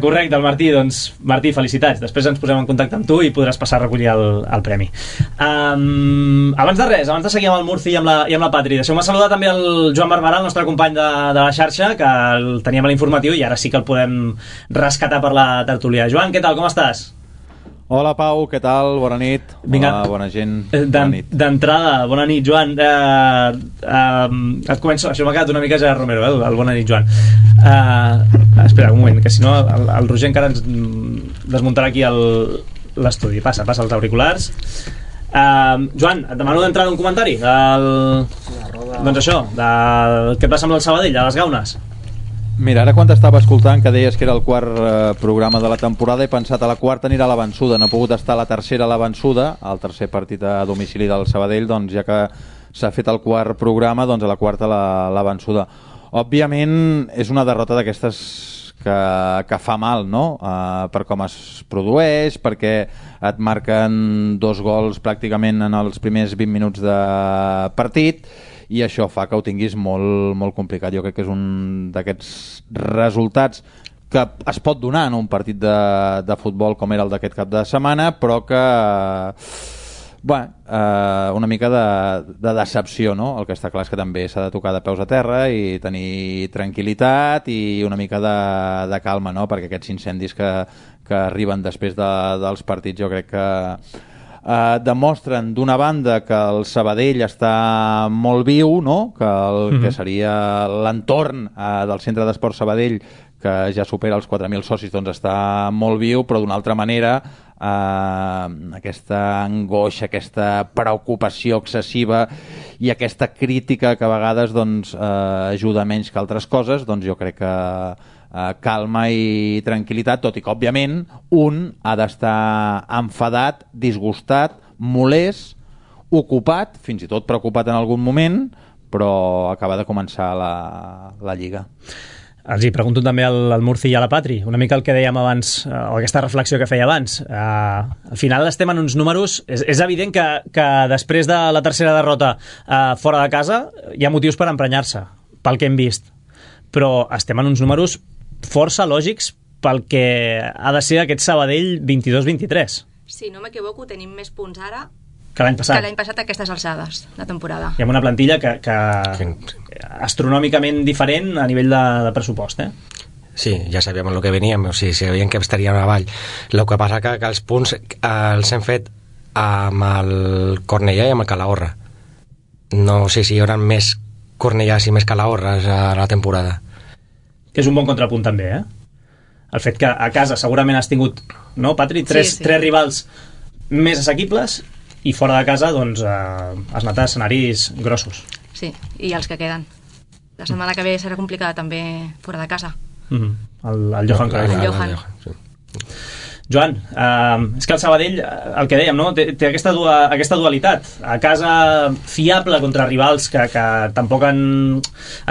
S2: Correcte, el Martí. Doncs Martí, felicitats. Després ens posem en contacte amb tu i podràs passar a recollir el premi. Abans de res, abans de seguir amb el Murci i amb la Patri, deixeu-me saludar també el Joan Barberà, el nostre company de la xarxa, que el teníem a l'informatiu i ara sí que el podem rescatar per la tertúlia. Joan, què tal, com estàs?
S9: Hola Pau, què tal? Bona nit.
S2: Vinga.
S9: Hola, bona gent. Bona nit.
S2: D'entrada, bona nit, Joan. Et començo, això m'ha quedat una mica Gerard Romero, el bona nit, Joan. Espera, un moment, que si no el Roger encara ens desmuntarà aquí l'estudi. Passa els auriculars. Joan, et demano d'entrada un comentari doncs això, què passa amb el Sabadell, a les Gaunes.
S9: Mira, ara quan t'estava escoltant que deies que era el quart programa de la temporada, he pensat a la quarta anirà a la vençuda, no ha pogut estar a la tercera a la vençuda, el tercer partit a domicili del Sabadell, doncs ja que s'ha fet el quart programa, doncs a la quarta la vençuda. Òbviament és una derrota d'aquestes que fa mal, no? Per com es produeix, perquè et marquen 2 gols pràcticament en els primers 20 minuts de partit, i això fa que ho tinguis molt, molt complicat. Jo crec que és un d'aquests resultats que es pot donar en un partit de futbol com era el d'aquest cap de setmana, però que una mica de decepció, no? El que està clar és que també s'ha de tocar de peus a terra i tenir tranquil·litat i una mica de calma, no? Perquè aquests incendis que arriben després dels partits jo crec que demostren d'una banda que el Sabadell està molt viu, no? Que el que seria l'entorn del Centre d'Esport Sabadell, que ja supera els 4.000 socis, doncs està molt viu, però d'una altra manera aquesta angoixa, aquesta preocupació excessiva i aquesta crítica que a vegades doncs, ajuda menys que altres coses, doncs jo crec que calma i tranquil·litat, tot i que òbviament un ha d'estar enfadat, disgustat, molest, ocupat, fins i tot preocupat en algun moment, però acaba de començar la Lliga.
S2: Els hi pregunto també al Murci i a la Patri, una mica el que dèiem abans, o aquesta reflexió que feia abans. Al final estem en uns números... És evident que després de la tercera derrota fora de casa hi ha motius per emprenyar-se, pel que hem vist. Però estem en uns números força lògics pel que ha de ser aquest Sabadell 22-23.
S4: Si no m'equivoco, tenim més punts ara
S2: que l'any passat.
S4: Que l'any passat a aquestes alçades de temporada.
S2: Hi ha una plantilla que astronòmicament diferent a nivell de pressupost,
S3: Sí, ja sabíem el que veníem, o sigui, sabíem que estaríem avall. El que passa que els punts els hem fet amb el Cornellà i amb el Calahorra. No sé si hi haurà més Cornellàs i més Calahorres a la temporada.
S2: Que és un bon contrapunt també, El fet que a casa segurament has tingut, no, Patri? Tres rivals més assequibles i fora de casa, doncs, has anat a escenaris grossos.
S4: Sí, i els que queden. La setmana que ve serà complicada també fora de casa.
S2: El Johan Cruyff.
S4: El Johan.
S3: Sí.
S2: Joan, és que el Sabadell, el que dèiem, no? té aquesta dualitat. A casa fiable contra rivals que tampoc han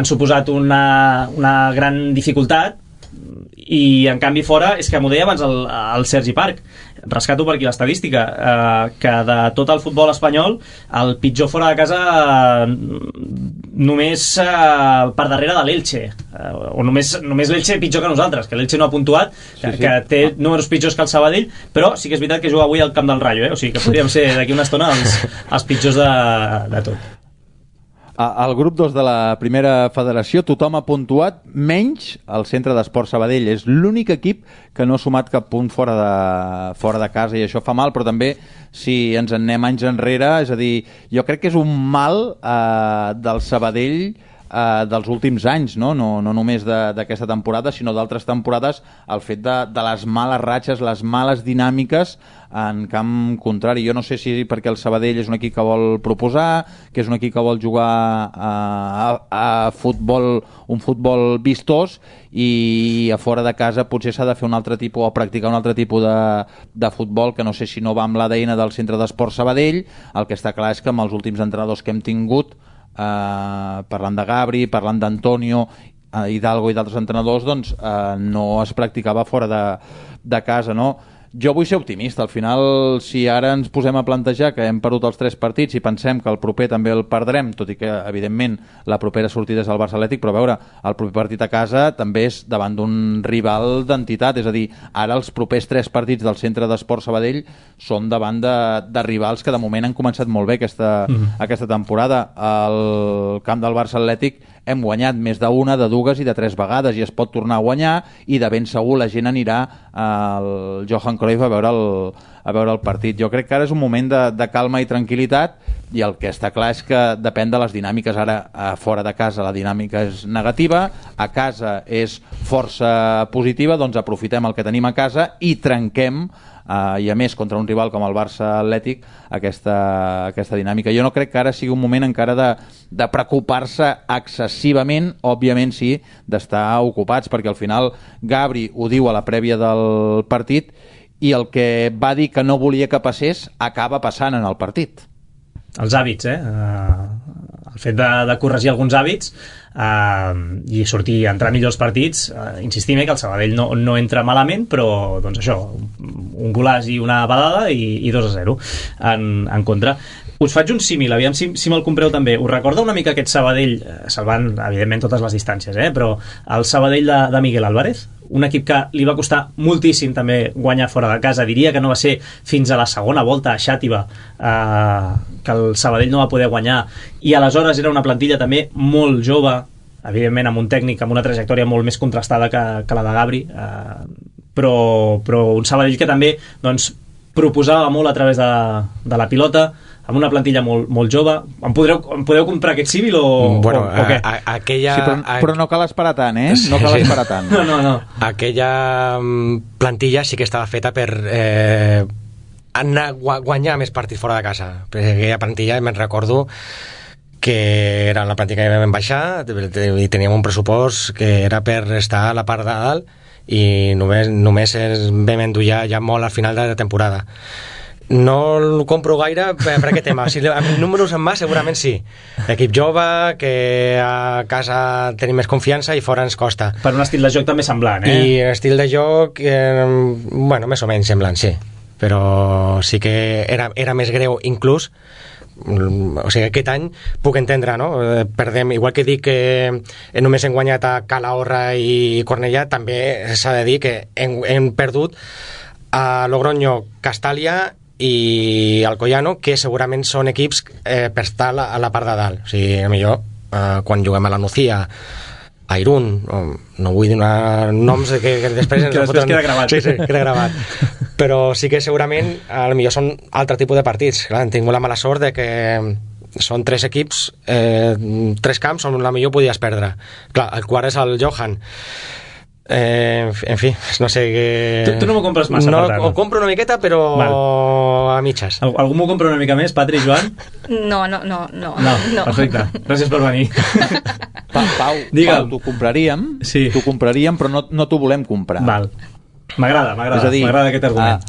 S2: suposat una gran dificultat, i en canvi fora, és que m'ho deia abans el Sergi Parc, rescato per aquí l'estadística, que de tot el futbol espanyol el pitjor fora de casa només per darrere de l'Elche, o només l'Elche pitjor que nosaltres, que l'Elche no ha puntuat, que té números pitjors que el Sabadell, però sí que és veritat que juga avui al camp del Rayo, o sigui que podríem ser d'aquí una estona els pitjors de tot.
S9: Al grup 2 de la primera federació tothom ha puntuat, menys el Centre d'Esport Sabadell. És l'únic equip que no ha sumat cap punt fora de casa, i això fa mal, però també si ens en anem anys enrere, és a dir, jo crec que és un mal del Sabadell dels últims anys, no només d'aquesta temporada, sinó d'altres temporades, el fet de les males ratxes, les males dinàmiques en camp contrari. Jo no sé si perquè el Sabadell és un equip que vol proposar, que és un equip que vol jugar a futbol, un futbol vistós, i a fora de casa potser s'ha de fer un altre tipus, o practicar un altre tipus de futbol, que no sé si no va amb l'ADN del Centre d'Esport Sabadell. El que està clar és que amb els últims entrenadors que hem tingut, parlant de Gabri, parlant d'Antonio, Hidalgo i d'altres entrenadors, doncs no es practicava fora de casa, no? Jo vull ser optimista. Al final, si ara ens posem a plantejar que hem perdut els 3 partits i pensem que el proper també el perdrem, tot i que, evidentment, la propera sortida és el Barça Atlètic, però a veure, el proper partit a casa també és davant d'un rival d'entitat, és a dir, ara els propers 3 partits del Centre d'Esport Sabadell són davant de rivals que de moment han començat molt bé aquesta temporada. Al camp del Barça Atlètic hem guanyat més d'una, de dues i de 3 vegades, i es pot tornar a guanyar, i de ben segur la gent anirà al Johan Cruyff a veure el partit. Jo crec que ara és un moment de calma i tranquil·litat, i el que està clar és que depèn de les dinàmiques. Ara, fora de casa, la dinàmica és negativa, a casa és força positiva, doncs aprofitem el que tenim a casa i trenquem, i a més contra un rival com el Barça Atlètic, aquesta dinàmica. Jo no crec que ara sigui un moment encara de preocupar-se excessivament, òbviament sí, d'estar ocupats, perquè al final Gabri ho diu a la prèvia del partit, i el que va dir que no volia que passés acaba passant en el partit.
S2: Els hàbits, el fet de corregir alguns hàbits i sortir a entrar millors partits. Insistim que el Sabadell no entra malament, però doncs això, un golàs i una badada i 2-0 en contra. Us faig un símil, aviam si me'l compreu també. Us recorda una mica aquest Sabadell, salvant evidentment totes les distàncies, però el Sabadell de Miguel Álvarez? Un equip que li va costar moltíssim també guanyar fora de casa. Diria que no va ser fins a la segona volta a Xàtiva que el Sabadell no va poder guanyar, i aleshores era una plantilla també molt jove, evidentment amb un tècnic amb una trajectòria molt més contrastada que la de Gabri, però un Sabadell que també doncs, proposava molt a través de la pilota, amb una plantilla molt jove. Em podeu comprar aquest símil o què?
S3: Aquella...
S9: Sí, però no cal esperar tant,
S3: Sí,
S9: no cal esperar tant.
S2: No.
S3: Aquella plantilla sí que estava feta per anar a guanyar més partits fora de casa. Perquè aquella plantilla, me'n recordo que era la plantilla que vam baixar i teníem un pressupost que era per estar a la part de dalt, i només vam endollar ja molt al final de la temporada. No el compro gaire per aquest tema. Si amb números en mà segurament sí. Equip jove, que a casa tenim més confiança i fora ens costa.
S2: Per un estil de joc també semblant,
S3: I estil de joc, més o menys semblant, sí. Però sí que era més greu inclús. O sigui, aquest any puc entendre, no? Perdem, igual que dic que només hem guanyat a Calahorra i Cornellà, també s'ha de dir que hem perdut a Logroño, Castàlia i Alcoyano, que segurament són equips per estar a la part de dalt. O sigui, millor quan juguem a la Nucía, a Irún, no vull donar noms que després
S2: que després queda gravat.
S3: Sí, queda gravat. Però sí que segurament potser són altre tipus de partits. Clar, hem tingut la mala sort de que són 3 equips, 3 camps on la millor podies perdre. Clar, el quart és el Johan. En fi, no sé què...
S2: Tu no m'ho compres massa, per tant.
S3: Ho compro una miqueta, però a mitges.
S2: Algú m'ho compra una mica més, Patri, Joan?
S4: No.
S2: Perfecte, gràcies per venir.
S9: Pau, t'ho compraríem, però no t'ho volem comprar.
S2: Val. M'agrada aquest argument.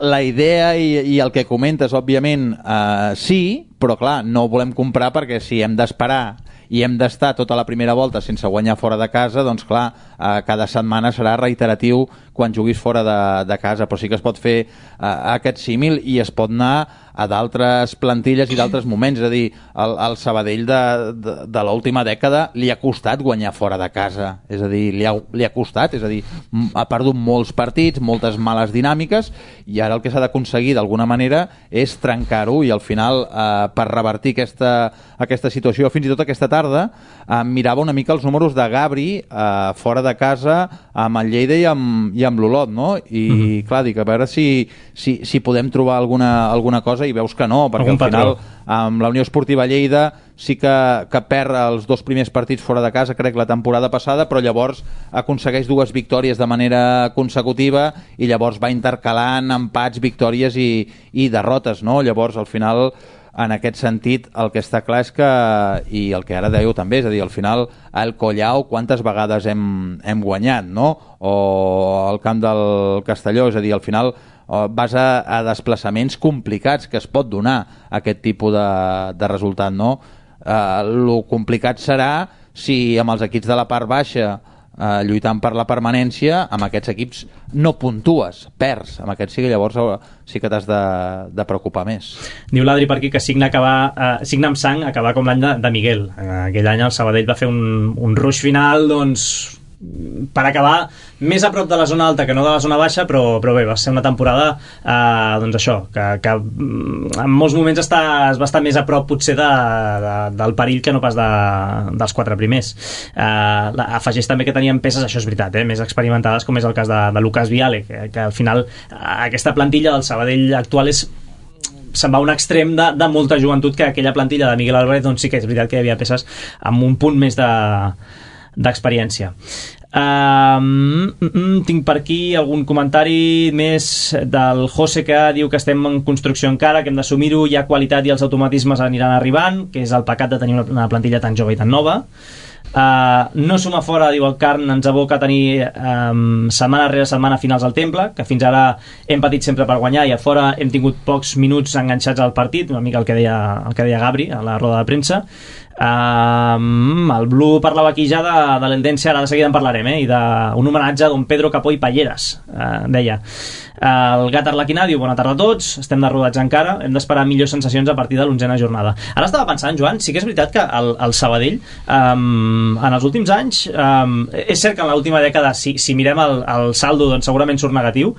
S9: La idea i el que comentes, òbviament, sí, però clar, no ho volem comprar perquè si hem d'esperar i hem d'estar tota la primera volta sense guanyar fora de casa, doncs clar, cada setmana serà reiteratiu quan juguis fora de casa, però sí que es pot fer aquest símil i es pot anar a d'altres plantilles i d'altres moments, és a dir, el Sabadell de l'última dècada li ha costat guanyar fora de casa, és a dir, li ha costat, és a dir, ha perdut molts partits, moltes males dinàmiques, i ara el que s'ha d'aconseguir d'alguna manera és trencar-ho, i al final per revertir aquesta situació, fins i tot aquesta tarda mirava una mica els números de Gabri fora de casa amb el Lleida i amb l'Olot, no? I clar, dic, a veure si podem trobar alguna cosa, i veus que no, perquè al final amb la Unió Esportiva Lleida sí que perd els 2 primers partits fora de casa, crec, la temporada passada, però llavors aconsegueix 2 victòries de manera consecutiva i llavors va intercalant empats, victòries i derrotes, no? Llavors, al final, en aquest sentit, el que està clar és que, i el que ara dèieu també, és a dir, al final, el Collao quantes vegades hem guanyat, no? O el camp del Castelló, és a dir, al final vas a desplaçaments complicats que es pot donar aquest tipus de resultat, no? Lo complicat serà si amb els equips de la part baixa lluitant per la permanència, amb aquests equips no puntues, perds, amb aquests sí que llavors sí que t'has de preocupar més.
S2: Diu l'Adri per aquí que Signa amb sang acabar com l'any de Miguel. Aquell any el Sabadell va fer un rush final, doncs, per acabar més a prop de la zona alta que no de la zona baixa, però bé, va ser una temporada doncs això, que en molts moments es va estar més a prop potser del perill que no pas dels 4 primers. Afegeix també que tenien peces, això és veritat, més experimentades, com és el cas de Lucas Viale, que al final aquesta plantilla del Sabadell actual se'n va a un extrem de molta joventut, que aquella plantilla de Miguel Álvarez doncs sí que és veritat que hi havia peces amb un punt més d'experiència. Tinc per aquí algun comentari més del José, que diu que estem en construcció encara, que hem d'assumir-ho, hi ha qualitat i els automatismes aniran arribant, que és el pecat de tenir una plantilla tan jove i tan nova. No suma fora, diu el Carn, ens aboca a tenir setmana rere setmana finals al Temple, que fins ara hem patit sempre per guanyar i a fora hem tingut pocs minuts enganxats al partit, una mica el que deia Gabri a la roda de premsa. El Blu parlava aquí ja de l'Eldense, ara de seguida en parlarem, i d'un homenatge a don Pedro Capó i Palleres, deia. El Gat Arlequinà diu: bona tarda a tots, estem de rodatge encara, hem d'esperar millors sensacions a partir de l'11a jornada. Ara estava pensant, Joan, sí que és veritat que el Sabadell en els últims anys, és cert que en l'última dècada, si mirem el saldo, doncs segurament surt negatiu.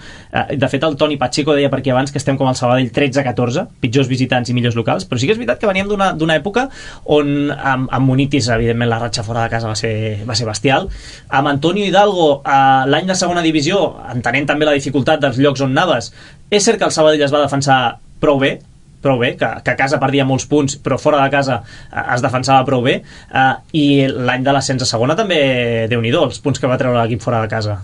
S2: De fet, el Toni Pacheco deia per aquí abans que estem com el Sabadell 13-14, pitjors visitants i millors locals, però sí que és veritat que veníem d'una època on amb Munitis, evidentment, la ratxa fora de casa va ser bestial. Amb Antonio Hidalgo, l'any de segona divisió, entenent també la dificultat dels llocs on anaves, és cert que el Sabadell es va defensar prou bé, que a casa perdia molts punts, però fora de casa es defensava prou bé, i l'any de l'ascens a segona també, Déu-n'hi-do, els punts que va treure l'equip fora de casa.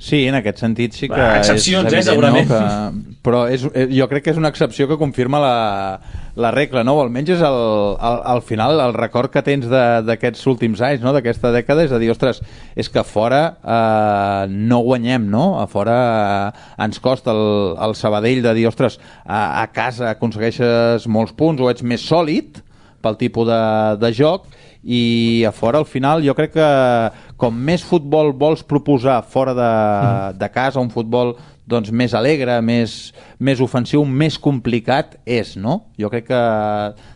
S9: Sí, en aquest sentit sí que
S2: excepcions,
S9: és evident,
S2: segurament.
S9: No? Però jo crec que és una excepció que confirma la regla, no? O almenys és al final el record que tens d'aquests últims anys, no? D'aquesta dècada, és a dir, ostres, és que a fora no guanyem, no? A fora ens costa el Sabadell de dir, ostres, a casa aconsegueixes molts punts o ets més sòlid pel tipus de joc, i a fora al final jo crec que com més futbol vols proposar fora de casa, un futbol doncs més alegre, més ofensiu, més complicat és, no? Jo crec que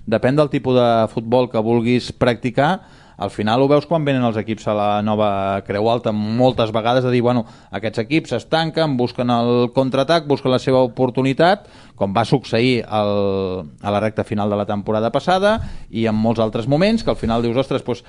S9: depèn del tipus de futbol que vulguis practicar. Al final ho veus quan venen els equips a la nova Creu Alta moltes vegades, de dir, bueno, aquests equips es tanquen, busquen el contraatac, busquen la seva oportunitat, com va succeir a la recta final de la temporada passada i en molts altres moments, que al final dius, ostres, doncs,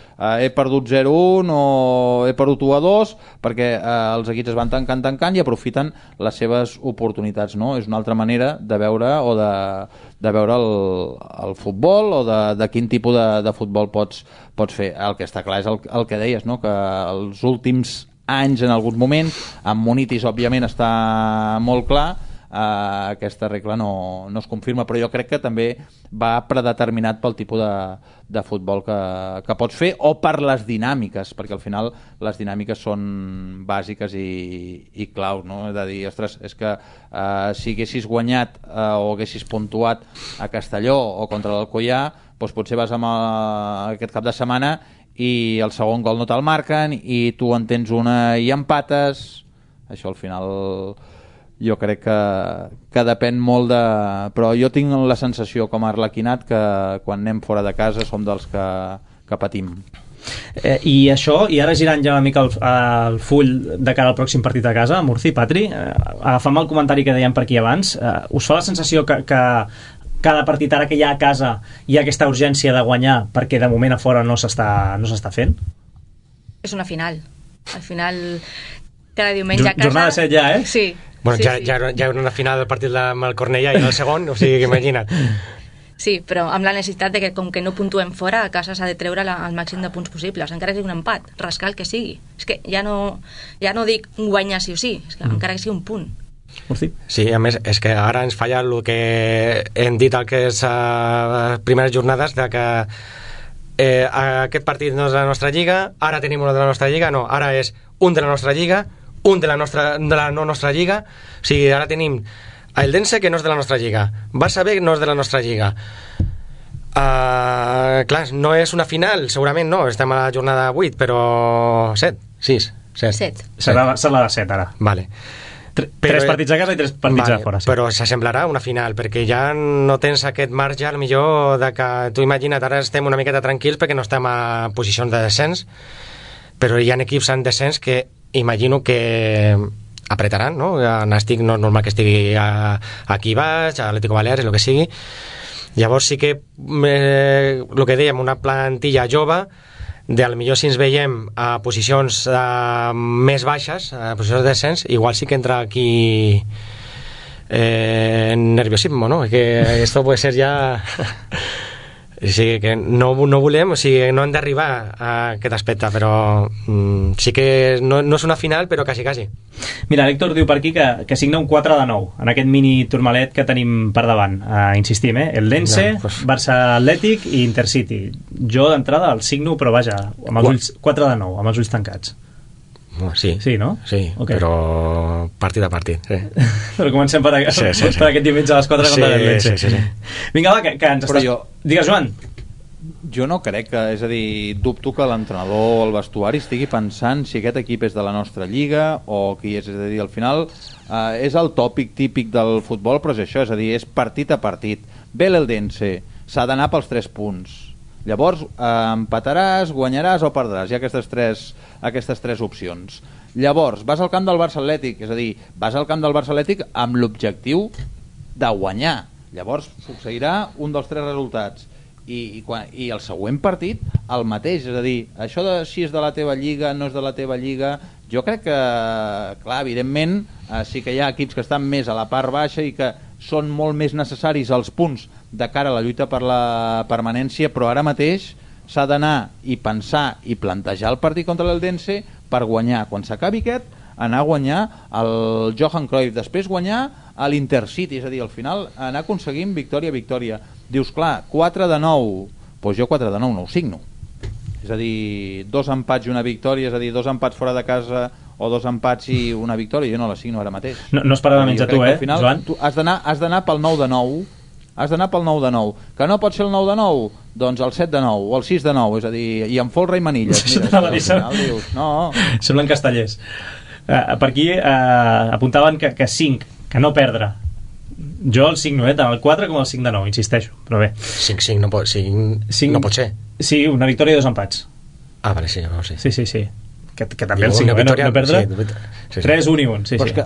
S9: he perdut 0-1 o he perdut 1-2 perquè els equips es van tancant i aprofiten les seves oportunitats, no? És una altra manera de veure o de veure el futbol o de quin tipus de futbol pots fer. El que està clar és el que deies, no? Que els últims anys, en alguns moments, amb Munitis òbviament està molt clar, aquesta regla no es confirma, però jo crec que també va predeterminat pel tipus de futbol que pots fer o per les dinàmiques, perquè al final les dinàmiques són bàsiques i claus, no? És a dir, ostres, és que si haguessis guanyat o haguessis puntuat a Castelló o contra l'Alcoià, doncs potser vas amb aquest cap de setmana i el segon gol no te'l marquen i tu en tens una i empates. Això al final jo crec que depèn molt de... Però jo tinc la sensació com a arlequinat que quan anem fora de casa som dels que patim.
S2: I això, i ara girant ja una mica el full de cara al pròxim partit a casa, Murci, Patri, agafant el comentari que dèiem per aquí abans, us fa la sensació que cada partit ara que hi ha a casa hi ha aquesta urgència de guanyar perquè de moment a fora no s'està fent?
S4: És una final. Al final, cada diumenge a casa...
S2: Jornada 7 ja, eh?
S4: Sí.
S3: Bueno,
S4: sí,
S3: ja era una final del partit amb el Cornellà i el segon, o sigui, imagina't.
S4: Sí, però amb la necessitat de que com que no puntuem fora, a casa s'ha de treure el màxim de punts possibles, encara que sigui un empat, rascar el que sigui. És que ja no dic guanyar sí o sí, és que encara que sigui un punt.
S3: Sí, a més, és que ara ens falla el que hem dit al que és primeres jornades de que aquest partit no és de la nostra lliga, ara tenim una de la nostra lliga, no, ara és un de la nostra lliga, un de la no nostra lliga, o sigui, ara tenim el Dense que no és de la nostra lliga, Barça B no és de la nostra lliga, clar, no és una final, segurament no, estem a la jornada 8, però 7.
S2: Serà la de 7 ara.
S3: Vale.
S2: Tres partits a casa i 3 partits a fora, sí.
S3: Però s'assemblarà una final, perquè ja no tens aquest marge al millor de que tu imagina't, ara estem una miqueta tranquils perquè no estem a posicions de descens, però hi ha equips en descens que imagino que apretaran, no? Nàstic no és normal que estigui aquí baix, Atlético Baleares, el que sigui. Llavors sí que el que dèiem, una plantilla jove, del millor si ens veiem a posicions més baixes, a posicions de descens, igual sí que entra aquí nerviosismo, ¿no? Que esto puede ser ya... Sí, que no volem, o sigui, no hem d'arribar a aquest aspecte, però sí que no és una final, però quasi.
S2: Mira, l'Héctor diu per aquí que signa un 4-9 en aquest mini turmalet que tenim per davant. Insistim, el Dense, Barça Atlètic i Intercity. Jo d'entrada el signo, però vaja, amb els ulls 4-9, amb els ulls tancats.
S3: Sí,
S2: no?
S3: Sí, okay. Però partit a partit. Sí.
S2: Però comencem per aquest diumenge a les 4 contra el Dense. Sí. Vinga, va, que ens estàs... Digues, Joan.
S9: Jo no crec que, és a dir, dubto que l'entrenador o el vestuari estigui pensant si aquest equip és de la nostra lliga o qui és a dir, al final és el tòpic típic del futbol, però és això, és a dir, és partit a partit. Ve l'Eldense, s'ha d'anar pels 3 punts. Llavors empataràs, guanyaràs o perdràs. Hi ha aquestes tres opcions. Llavors vas al camp del Barça Atlètic, és a dir, vas al camp del Barça Atlètic amb l'objectiu de guanyar. Llavors succeirà un dels 3 resultats i el següent partit el mateix, és a dir, això de si és de la teva lliga, no és de la teva lliga, jo crec que, clar, evidentment sí que hi ha equips que estan més a la part baixa i que són molt més necessaris els punts de cara a la lluita per la permanència, però ara mateix s'ha d'anar i pensar i plantejar el partit contra l'Eldense per guanyar. Quan s'acabi aquest, anar a guanyar el Johan Cruyff, després guanyar a l'Intercity, és a dir, al final anar aconseguint victòria a victòria. Dius, clar, 4-9, doncs jo 4-9 no ho signo. És a dir, 2 empats i una victòria, és a dir, 2 empats fora de casa o 2 empats i una victòria, jo no la signo ara mateix.
S2: No es parava menys a tu,
S9: final,
S2: Joan?
S9: Tu has d'anar pel 9-9, has d'anar pel 9-9, que no pot ser el 9-9, doncs el 7-9 o el 6-9, és a dir, i amb folre i manilles. Mira, al final dius, no.
S2: Semblen castellers. Per aquí apuntaven que 5, que no perdre. Jo el signo, tant el 4 com el 5-9, insisteixo, però bé.
S3: 5 no pot ser.
S2: Sí, una victòria i 2 empats.
S3: Ah, vale, sí, no, sí.
S2: Sí. Que també el 5, no perdre. Sí. 3-1 i 1, sí.
S9: Però és que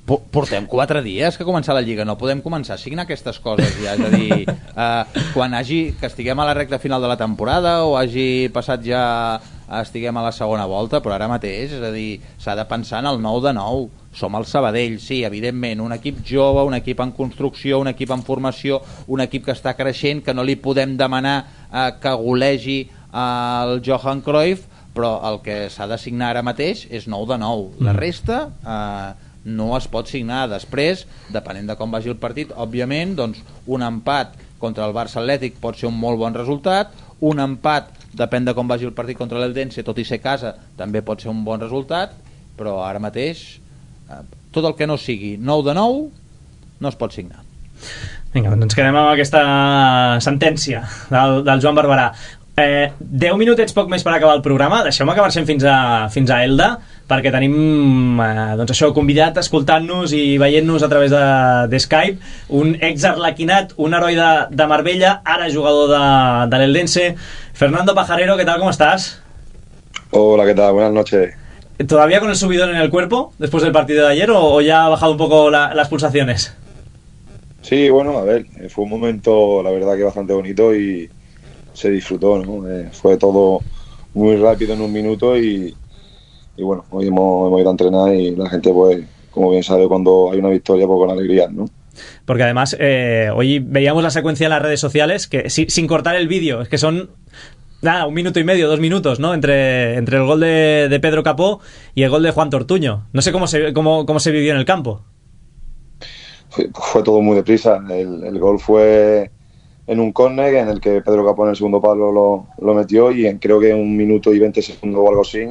S9: portem 4 dies que començar la Lliga, no podem començar a signar aquestes coses ja, és a dir, quan que estiguem a la recta final de la temporada o hagi passat ja, estiguem a la segona volta, però ara mateix, és a dir, s'ha de pensar en el 9-9. Som el Sabadell, sí, evidentment, un equip jove, un equip en construcció, un equip en formació, un equip que està creixent, que no li podem demanar que golegi el Johan Cruyff, però el que s'ha de signar ara mateix és 9-9. La resta no es pot signar. Després, depenent de com vagi el partit, òbviament, doncs, un empat contra el Barça Atlètic pot ser un molt bon resultat, un empat, depèn de com vagi el partit contra l'Eldense, tot i ser casa, també pot ser un bon resultat, però ara mateix tot el que no sigui 9 de 9 no es pot signar.
S2: Vinga, doncs ens quedem amb aquesta sentència del Joan Barberà. 10 minutets poc més per acabar el programa. Deixeu-me que marxem fins a Elda, perquè tenim doncs això, convidat escoltant-nos i veient-nos a través de Skype, un ex-arlequinat, un heroi de Marbella, ara jugador de l'Eldense, Fernando Pajarero. ¿Qué tal? ¿Cómo estás?
S10: Hola, ¿qué tal? Buenas noches.
S2: ¿Todavía con el subidón en el cuerpo después del partido de ayer o ya ha bajado un poco las pulsaciones?
S10: Sí, bueno, a ver, fue un momento, la verdad, que bastante bonito y se disfrutó, ¿no? Fue todo muy rápido en un minuto y bueno, hoy hemos ido a entrenar y la gente, pues, como bien sabe, cuando hay una victoria, pues con alegría, ¿no?
S2: Porque además, hoy veíamos la secuencia en las redes sociales, que sin cortar el vídeo, es que son... Nada, 1 minuto y medio, 2 minutos, ¿no? Entre el gol de Pedro Capó y el gol de Juan Tortuño. No sé cómo se vivió en el campo.
S10: Fue todo muy deprisa. El gol fue en un córner en el que Pedro Capó en el segundo palo lo metió y creo que en 1 minuto y 20 segundos o algo así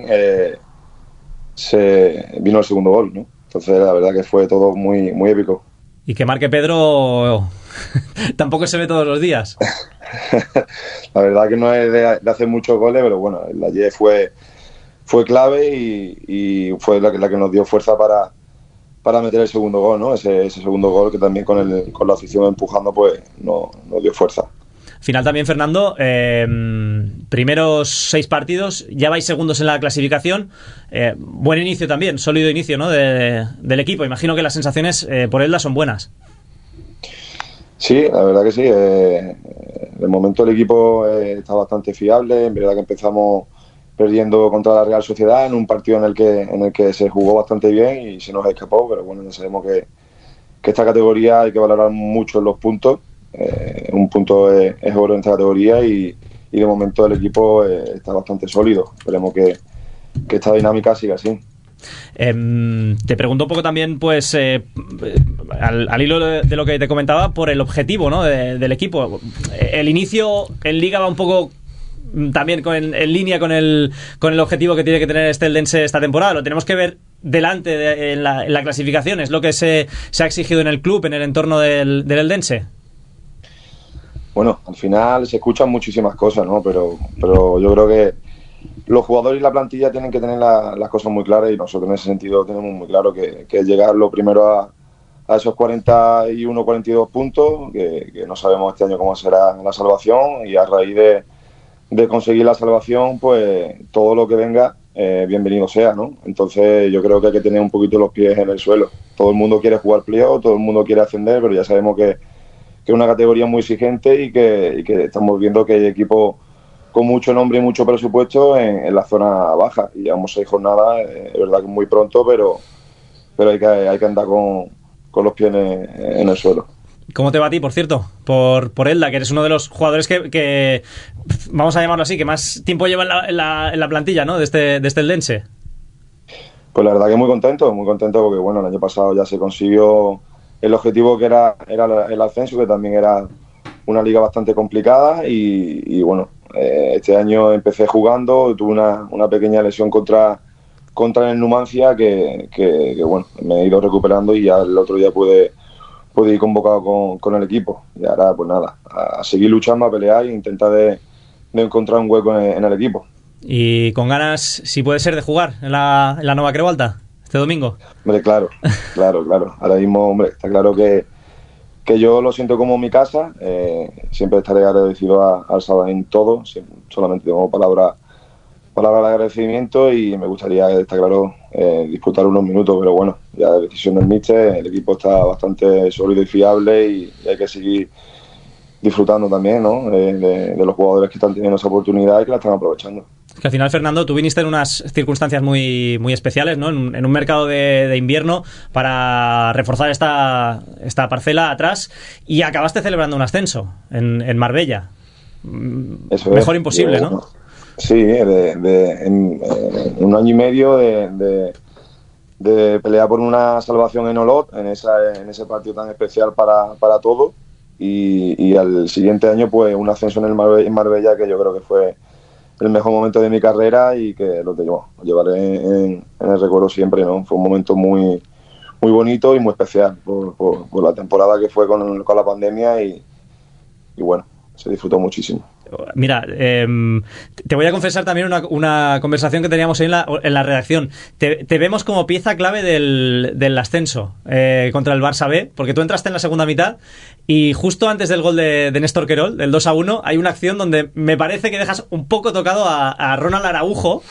S10: se vino el segundo gol, ¿no? Entonces la verdad que fue todo muy, muy épico.
S2: Y que marque Pedro tampoco se ve todos los días.
S10: La verdad que no es de hacer muchos goles, pero bueno, el de ayer fue clave y fue la que nos dio fuerza para meter el segundo gol, ¿no? Ese segundo gol que también con la afición empujando, pues nos dio fuerza.
S2: Final también, Fernando, primeros 6 partidos, ya vais segundos en la clasificación, buen inicio también, sólido inicio, ¿no? del equipo. Imagino que las sensaciones por Elda son buenas.
S10: Sí, la verdad que sí. De momento el equipo está bastante fiable. En verdad que empezamos perdiendo contra la Real Sociedad en un partido en el que se jugó bastante bien y se nos escapó, pero bueno, ya sabemos que esta categoría hay que valorar mucho los puntos. Un punto es oro en esta categoría y de momento el equipo está bastante sólido. Esperemos que esta dinámica siga así.
S2: Te pregunto un poco también, pues, al hilo de lo que te comentaba, por el objetivo, ¿no? del equipo. El inicio en Liga va un poco también en línea con el objetivo que tiene que tener este Eldense esta temporada. Lo tenemos que ver delante en la clasificación. Es lo que se ha exigido en el club, en el entorno del Eldense.
S10: Bueno, al final se escuchan muchísimas cosas, ¿no? Pero yo creo que los jugadores y la plantilla tienen que tener las cosas muy claras y nosotros en ese sentido tenemos muy claro que es llegar lo primero a esos 41, 42 puntos, que no sabemos este año cómo será la salvación y a raíz de conseguir la salvación, pues todo lo que venga, bienvenido sea, ¿no? Entonces yo creo que hay que tener un poquito los pies en el suelo. Todo el mundo quiere jugar playoff, todo el mundo quiere ascender, pero ya sabemos que es una categoría muy exigente y que estamos viendo que hay equipos con mucho nombre y mucho presupuesto en la zona baja. Y llevamos 6 jornadas, es verdad que es muy pronto, pero hay que andar con los pies en el suelo.
S2: ¿Cómo te va a ti, por cierto? Por Elda, que eres uno de los jugadores que vamos a llamarlo así, que más tiempo lleva en la plantilla, ¿no? de este Eldense.
S10: Pues la verdad que muy contento porque bueno, el año pasado ya se consiguió el objetivo que era el ascenso, que también era una liga bastante complicada y bueno, este año empecé jugando, tuve una pequeña lesión contra el Numancia que bueno, me he ido recuperando y ya el otro día pude ir convocado con el equipo y ahora pues nada, a seguir luchando, a pelear e intentar de encontrar un hueco en el equipo.
S2: Y con ganas, si puede ser, de jugar en la Nova Creu Alta este domingo.
S10: Hombre, claro. Ahora mismo, hombre, está claro que yo lo siento como mi casa. Siempre estaré agradecido al Sabadell todo. Solamente tengo palabras de agradecimiento y me gustaría, está claro, disputar unos minutos, pero bueno, ya de decisión del míster, el equipo está bastante sólido y fiable y hay que seguir disfrutando también, ¿no? de los jugadores que están teniendo esa oportunidad y que la están aprovechando.
S2: Que al final, Fernando, tú viniste en unas circunstancias muy, muy especiales, ¿no? En un mercado de invierno para reforzar esta parcela atrás y acabaste celebrando un ascenso en Marbella. Eso mejor es, imposible, ¿no?
S10: Sí, en un año y medio de de pelear por una salvación en Olot, en ese partido tan especial para todos, y al siguiente año pues un ascenso en Marbella, que yo creo que fue el mejor momento de mi carrera y que lo llevaré en el recuerdo siempre, ¿no? Fue un momento muy, muy bonito y muy especial por la temporada que fue con la pandemia y bueno, se disfrutó muchísimo.
S2: Mira, te voy a confesar también una conversación que teníamos hoy en la redacción. Te vemos como pieza clave del ascenso contra el Barça B, porque tú entraste en la segunda mitad y justo antes del gol de Néstor Querol, del 2-1, hay una acción donde me parece que dejas un poco tocado a Ronald Araujo,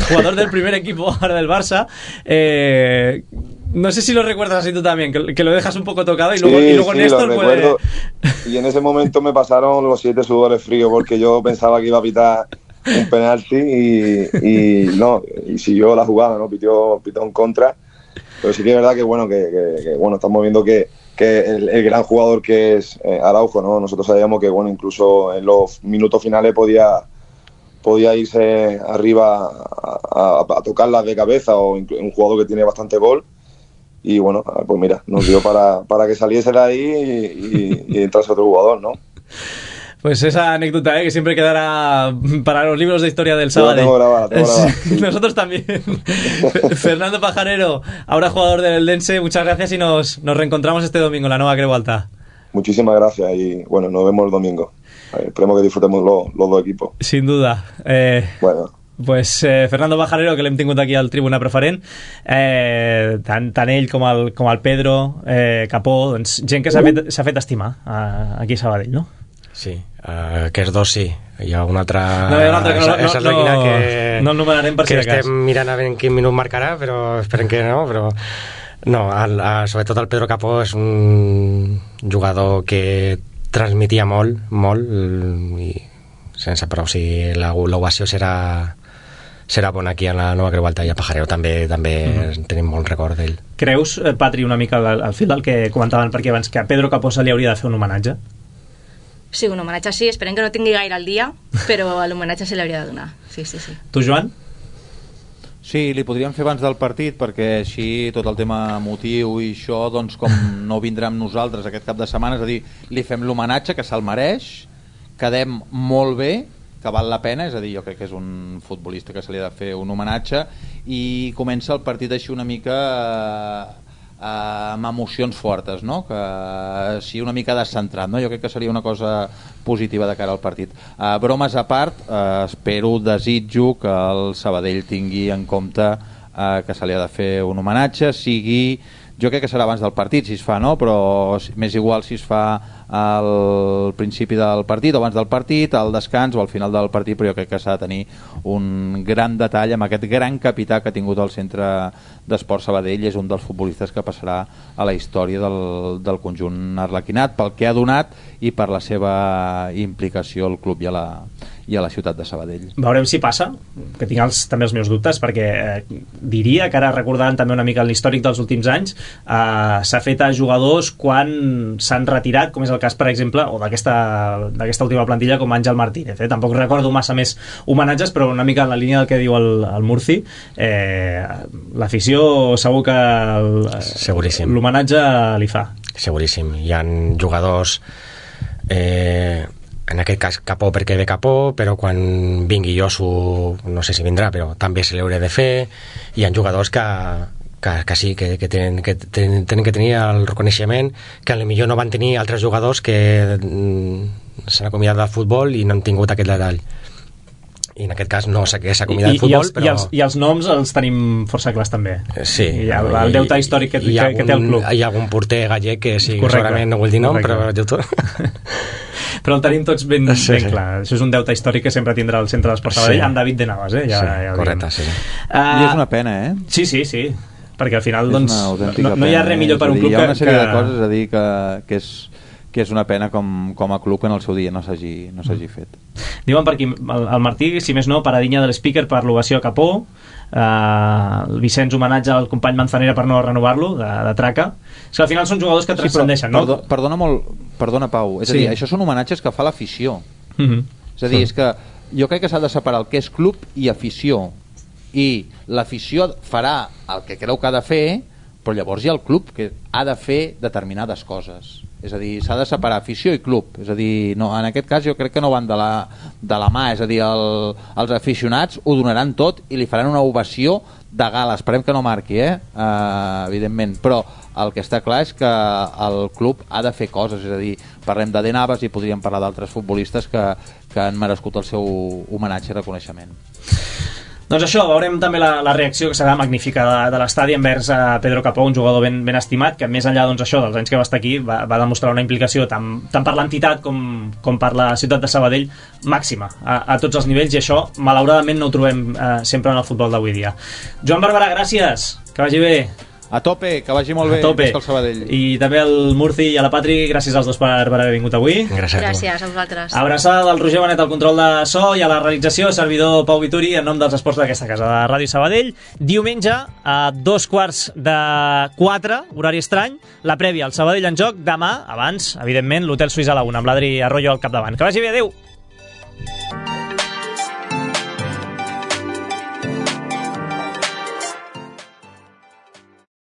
S2: jugador del primer equipo ahora del Barça. No sé si lo recuerdas así tú también, que lo dejas un poco tocado y luego
S10: sí,
S2: Néstor
S10: lo recuerdo. Y en ese momento me pasaron los 7 sudores fríos porque yo pensaba que iba a pitar un penalti y siguió la jugada, ¿no? Pitó en contra. Pero sí que es verdad que estamos viendo que el gran jugador que es Araujo, ¿no? Nosotros sabíamos que incluso en los minutos finales podía irse arriba a tocarlas de cabeza, o un jugador que tiene bastante gol. Y bueno, pues mira, nos dio para que saliese de ahí y entrase otro jugador, ¿no?
S2: Pues esa anécdota, que siempre quedará para los libros de historia del sábado.
S10: La tengo grabada.
S2: Sí. Nosotros también. Fernando Pajarero, ahora jugador del Eldense, muchas gracias y nos reencontramos este domingo en la Nova Creu Alta.
S10: Muchísimas gracias y bueno, nos vemos el domingo. Esperemos que disfrutemos los dos equipos.
S2: Sin duda. Pues Fernando Pajarero, que l'hem tingut aquí al Tribuna Preferent, tant ell com el Pedro Capó, doncs gent que s'ha fet estimar aquí a Sabadell, no?
S3: Sí, aquests dos sí. Hi ha un altre...
S2: No, hi ha un altre que no el numerarem per si de cas.
S3: Estem mirant a veure en quin minut marcarà, però esperem que no, però... No, sobretot el Pedro Capó és un jugador que transmetia molt, i sense prou, si l'ovació serà bona aquí a la Nova Creu Alta, i a Pajarero també tenim molt record d'ell.
S2: Creus, Patri, una mica al fil del que comentaven per aquí abans, que a Pedro Capó se li hauria de fer un homenatge?
S4: Sí, un homenatge sí, esperem que no tingui gaire al dia, però l'homenatge se li hauria de donar. Sí.
S2: Tu, Joan?
S9: Sí, li podríem fer abans del partit, perquè així tot el tema emotiu i això, doncs com no vindrà amb nosaltres aquest cap de setmana, és a dir, li fem l'homenatge, que se'l mereix, quedem molt bé, que val la pena, és a dir, jo crec que és un futbolista que se li ha de fer un homenatge, i comença el partit així una mica amb emocions fortes, no? Que sí, una mica descentrat, no? Jo crec que seria una cosa positiva de cara al partit. Bromes a part, desitjo que el Sabadell tingui en compte que se li ha de fer un homenatge, jo crec que serà abans del partit si es fa, no? Però m'és igual si es fa al principi del partit o abans del partit, al descans o al final del partit, però jo crec que s'ha de tenir un gran detall amb aquest gran capità que ha tingut el Centre d'Esport Sabadell. És un dels futbolistes que passarà a la història del conjunt arlequinat pel que ha donat i per la seva implicació al club i a la ciutat de Sabadell.
S2: Veurem si passa, que tinc també els meus dubtes, perquè diria que ara, recordant també una mica l'històric dels últims anys, s'ha fet a jugadors quan s'han retirat, com és el cas, per exemple, o d'aquesta última plantilla, com Àngel Martínez. Tampoc recordo massa més homenatges, però una mica en la línia del que diu el Murci, l'afició segur que l'homenatge li fa.
S3: Seguríssim. Hi ha jugadors... en aquest cas Capó perquè ve Capó, però quan vingui Josu no sé si vindrà, però també se li haurà de fer. Hi ha jugadors que sí, que tenen que tenir el reconeixement que potser no van tenir altres jugadors que s'han acomiadat del futbol i no han tingut aquest detall, i en aquest cas no s'ha acomiadat del futbol, però...
S2: I els noms els tenim força clars també.
S3: Sí.
S2: El deute històric que té el club.
S3: Hi ha algun porter gallec que sí, segurament no vull dir nom, però
S2: però el tenim tots ben clar. Això és un deute històric que sempre tindrà el Centre d'Esport Sabadell, amb David de Navas,
S3: correcte, sí.
S9: I és una pena,
S2: Sí, perquè al final doncs, no hi ha res millor per un club que...
S9: Hi ha una sèrie de coses a dir que és una pena com a club que en el seu dia no s'hagi fet.
S2: Diuen per aquí, el Martí, si més no, paradinha de l'Speaker per l'ovació a Capó, el Vicenç homenatge al company Manzanera per no renovar-lo, de traca. És que al final són jugadors que transcendeixen, no?
S9: Perdona, Pau, és a dir, això són homenatges que fa l'afició. És a dir, és que jo crec que s'ha de separar el que és club i afició. i l'afició farà el que creu que ha de fer, però llavors hi ha el club que ha de fer determinades coses. És a dir, s'ha de separar afició i club. És a dir, no, en aquest cas jo crec que no van de la mà. És a dir, els aficionats ho donaran tot i li faran una ovació de gala. Esperem que no marqui, evidentment. Però el que està clar és que el club ha de fer coses. És a dir, parlem de De Navas i podríem parlar d'altres futbolistes que han merescut el seu homenatge i reconeixement.
S2: Doncs això, veurem també la reacció que serà magnífica de l'estadi envers Pedro Capó, un jugador ben estimat, que més enllà dels anys que va estar aquí va demostrar una implicació tant per l'entitat com per la ciutat de Sabadell màxima a tots els nivells, i això malauradament no ho trobem sempre en el futbol d'avui dia. Joan Barberà, gràcies, que vagi bé.
S9: A tope, que vagi molt bé. A tope.
S2: I també al Murci i a la Patri, gràcies als dos per haver vingut avui.
S4: Gràcies a vosaltres.
S2: Abraçada del Roger Benet al control de so i a la realització, servidor Pau Vituri, en nom dels esports d'aquesta casa, de Ràdio Sabadell. Diumenge, a 3:45, horari estrany, la prèvia al Sabadell en joc. Demà, abans, evidentment, l'Hotel Suïssa a la 1, amb l'Adri Arroyo al capdavant. Que vagi bé, adeu!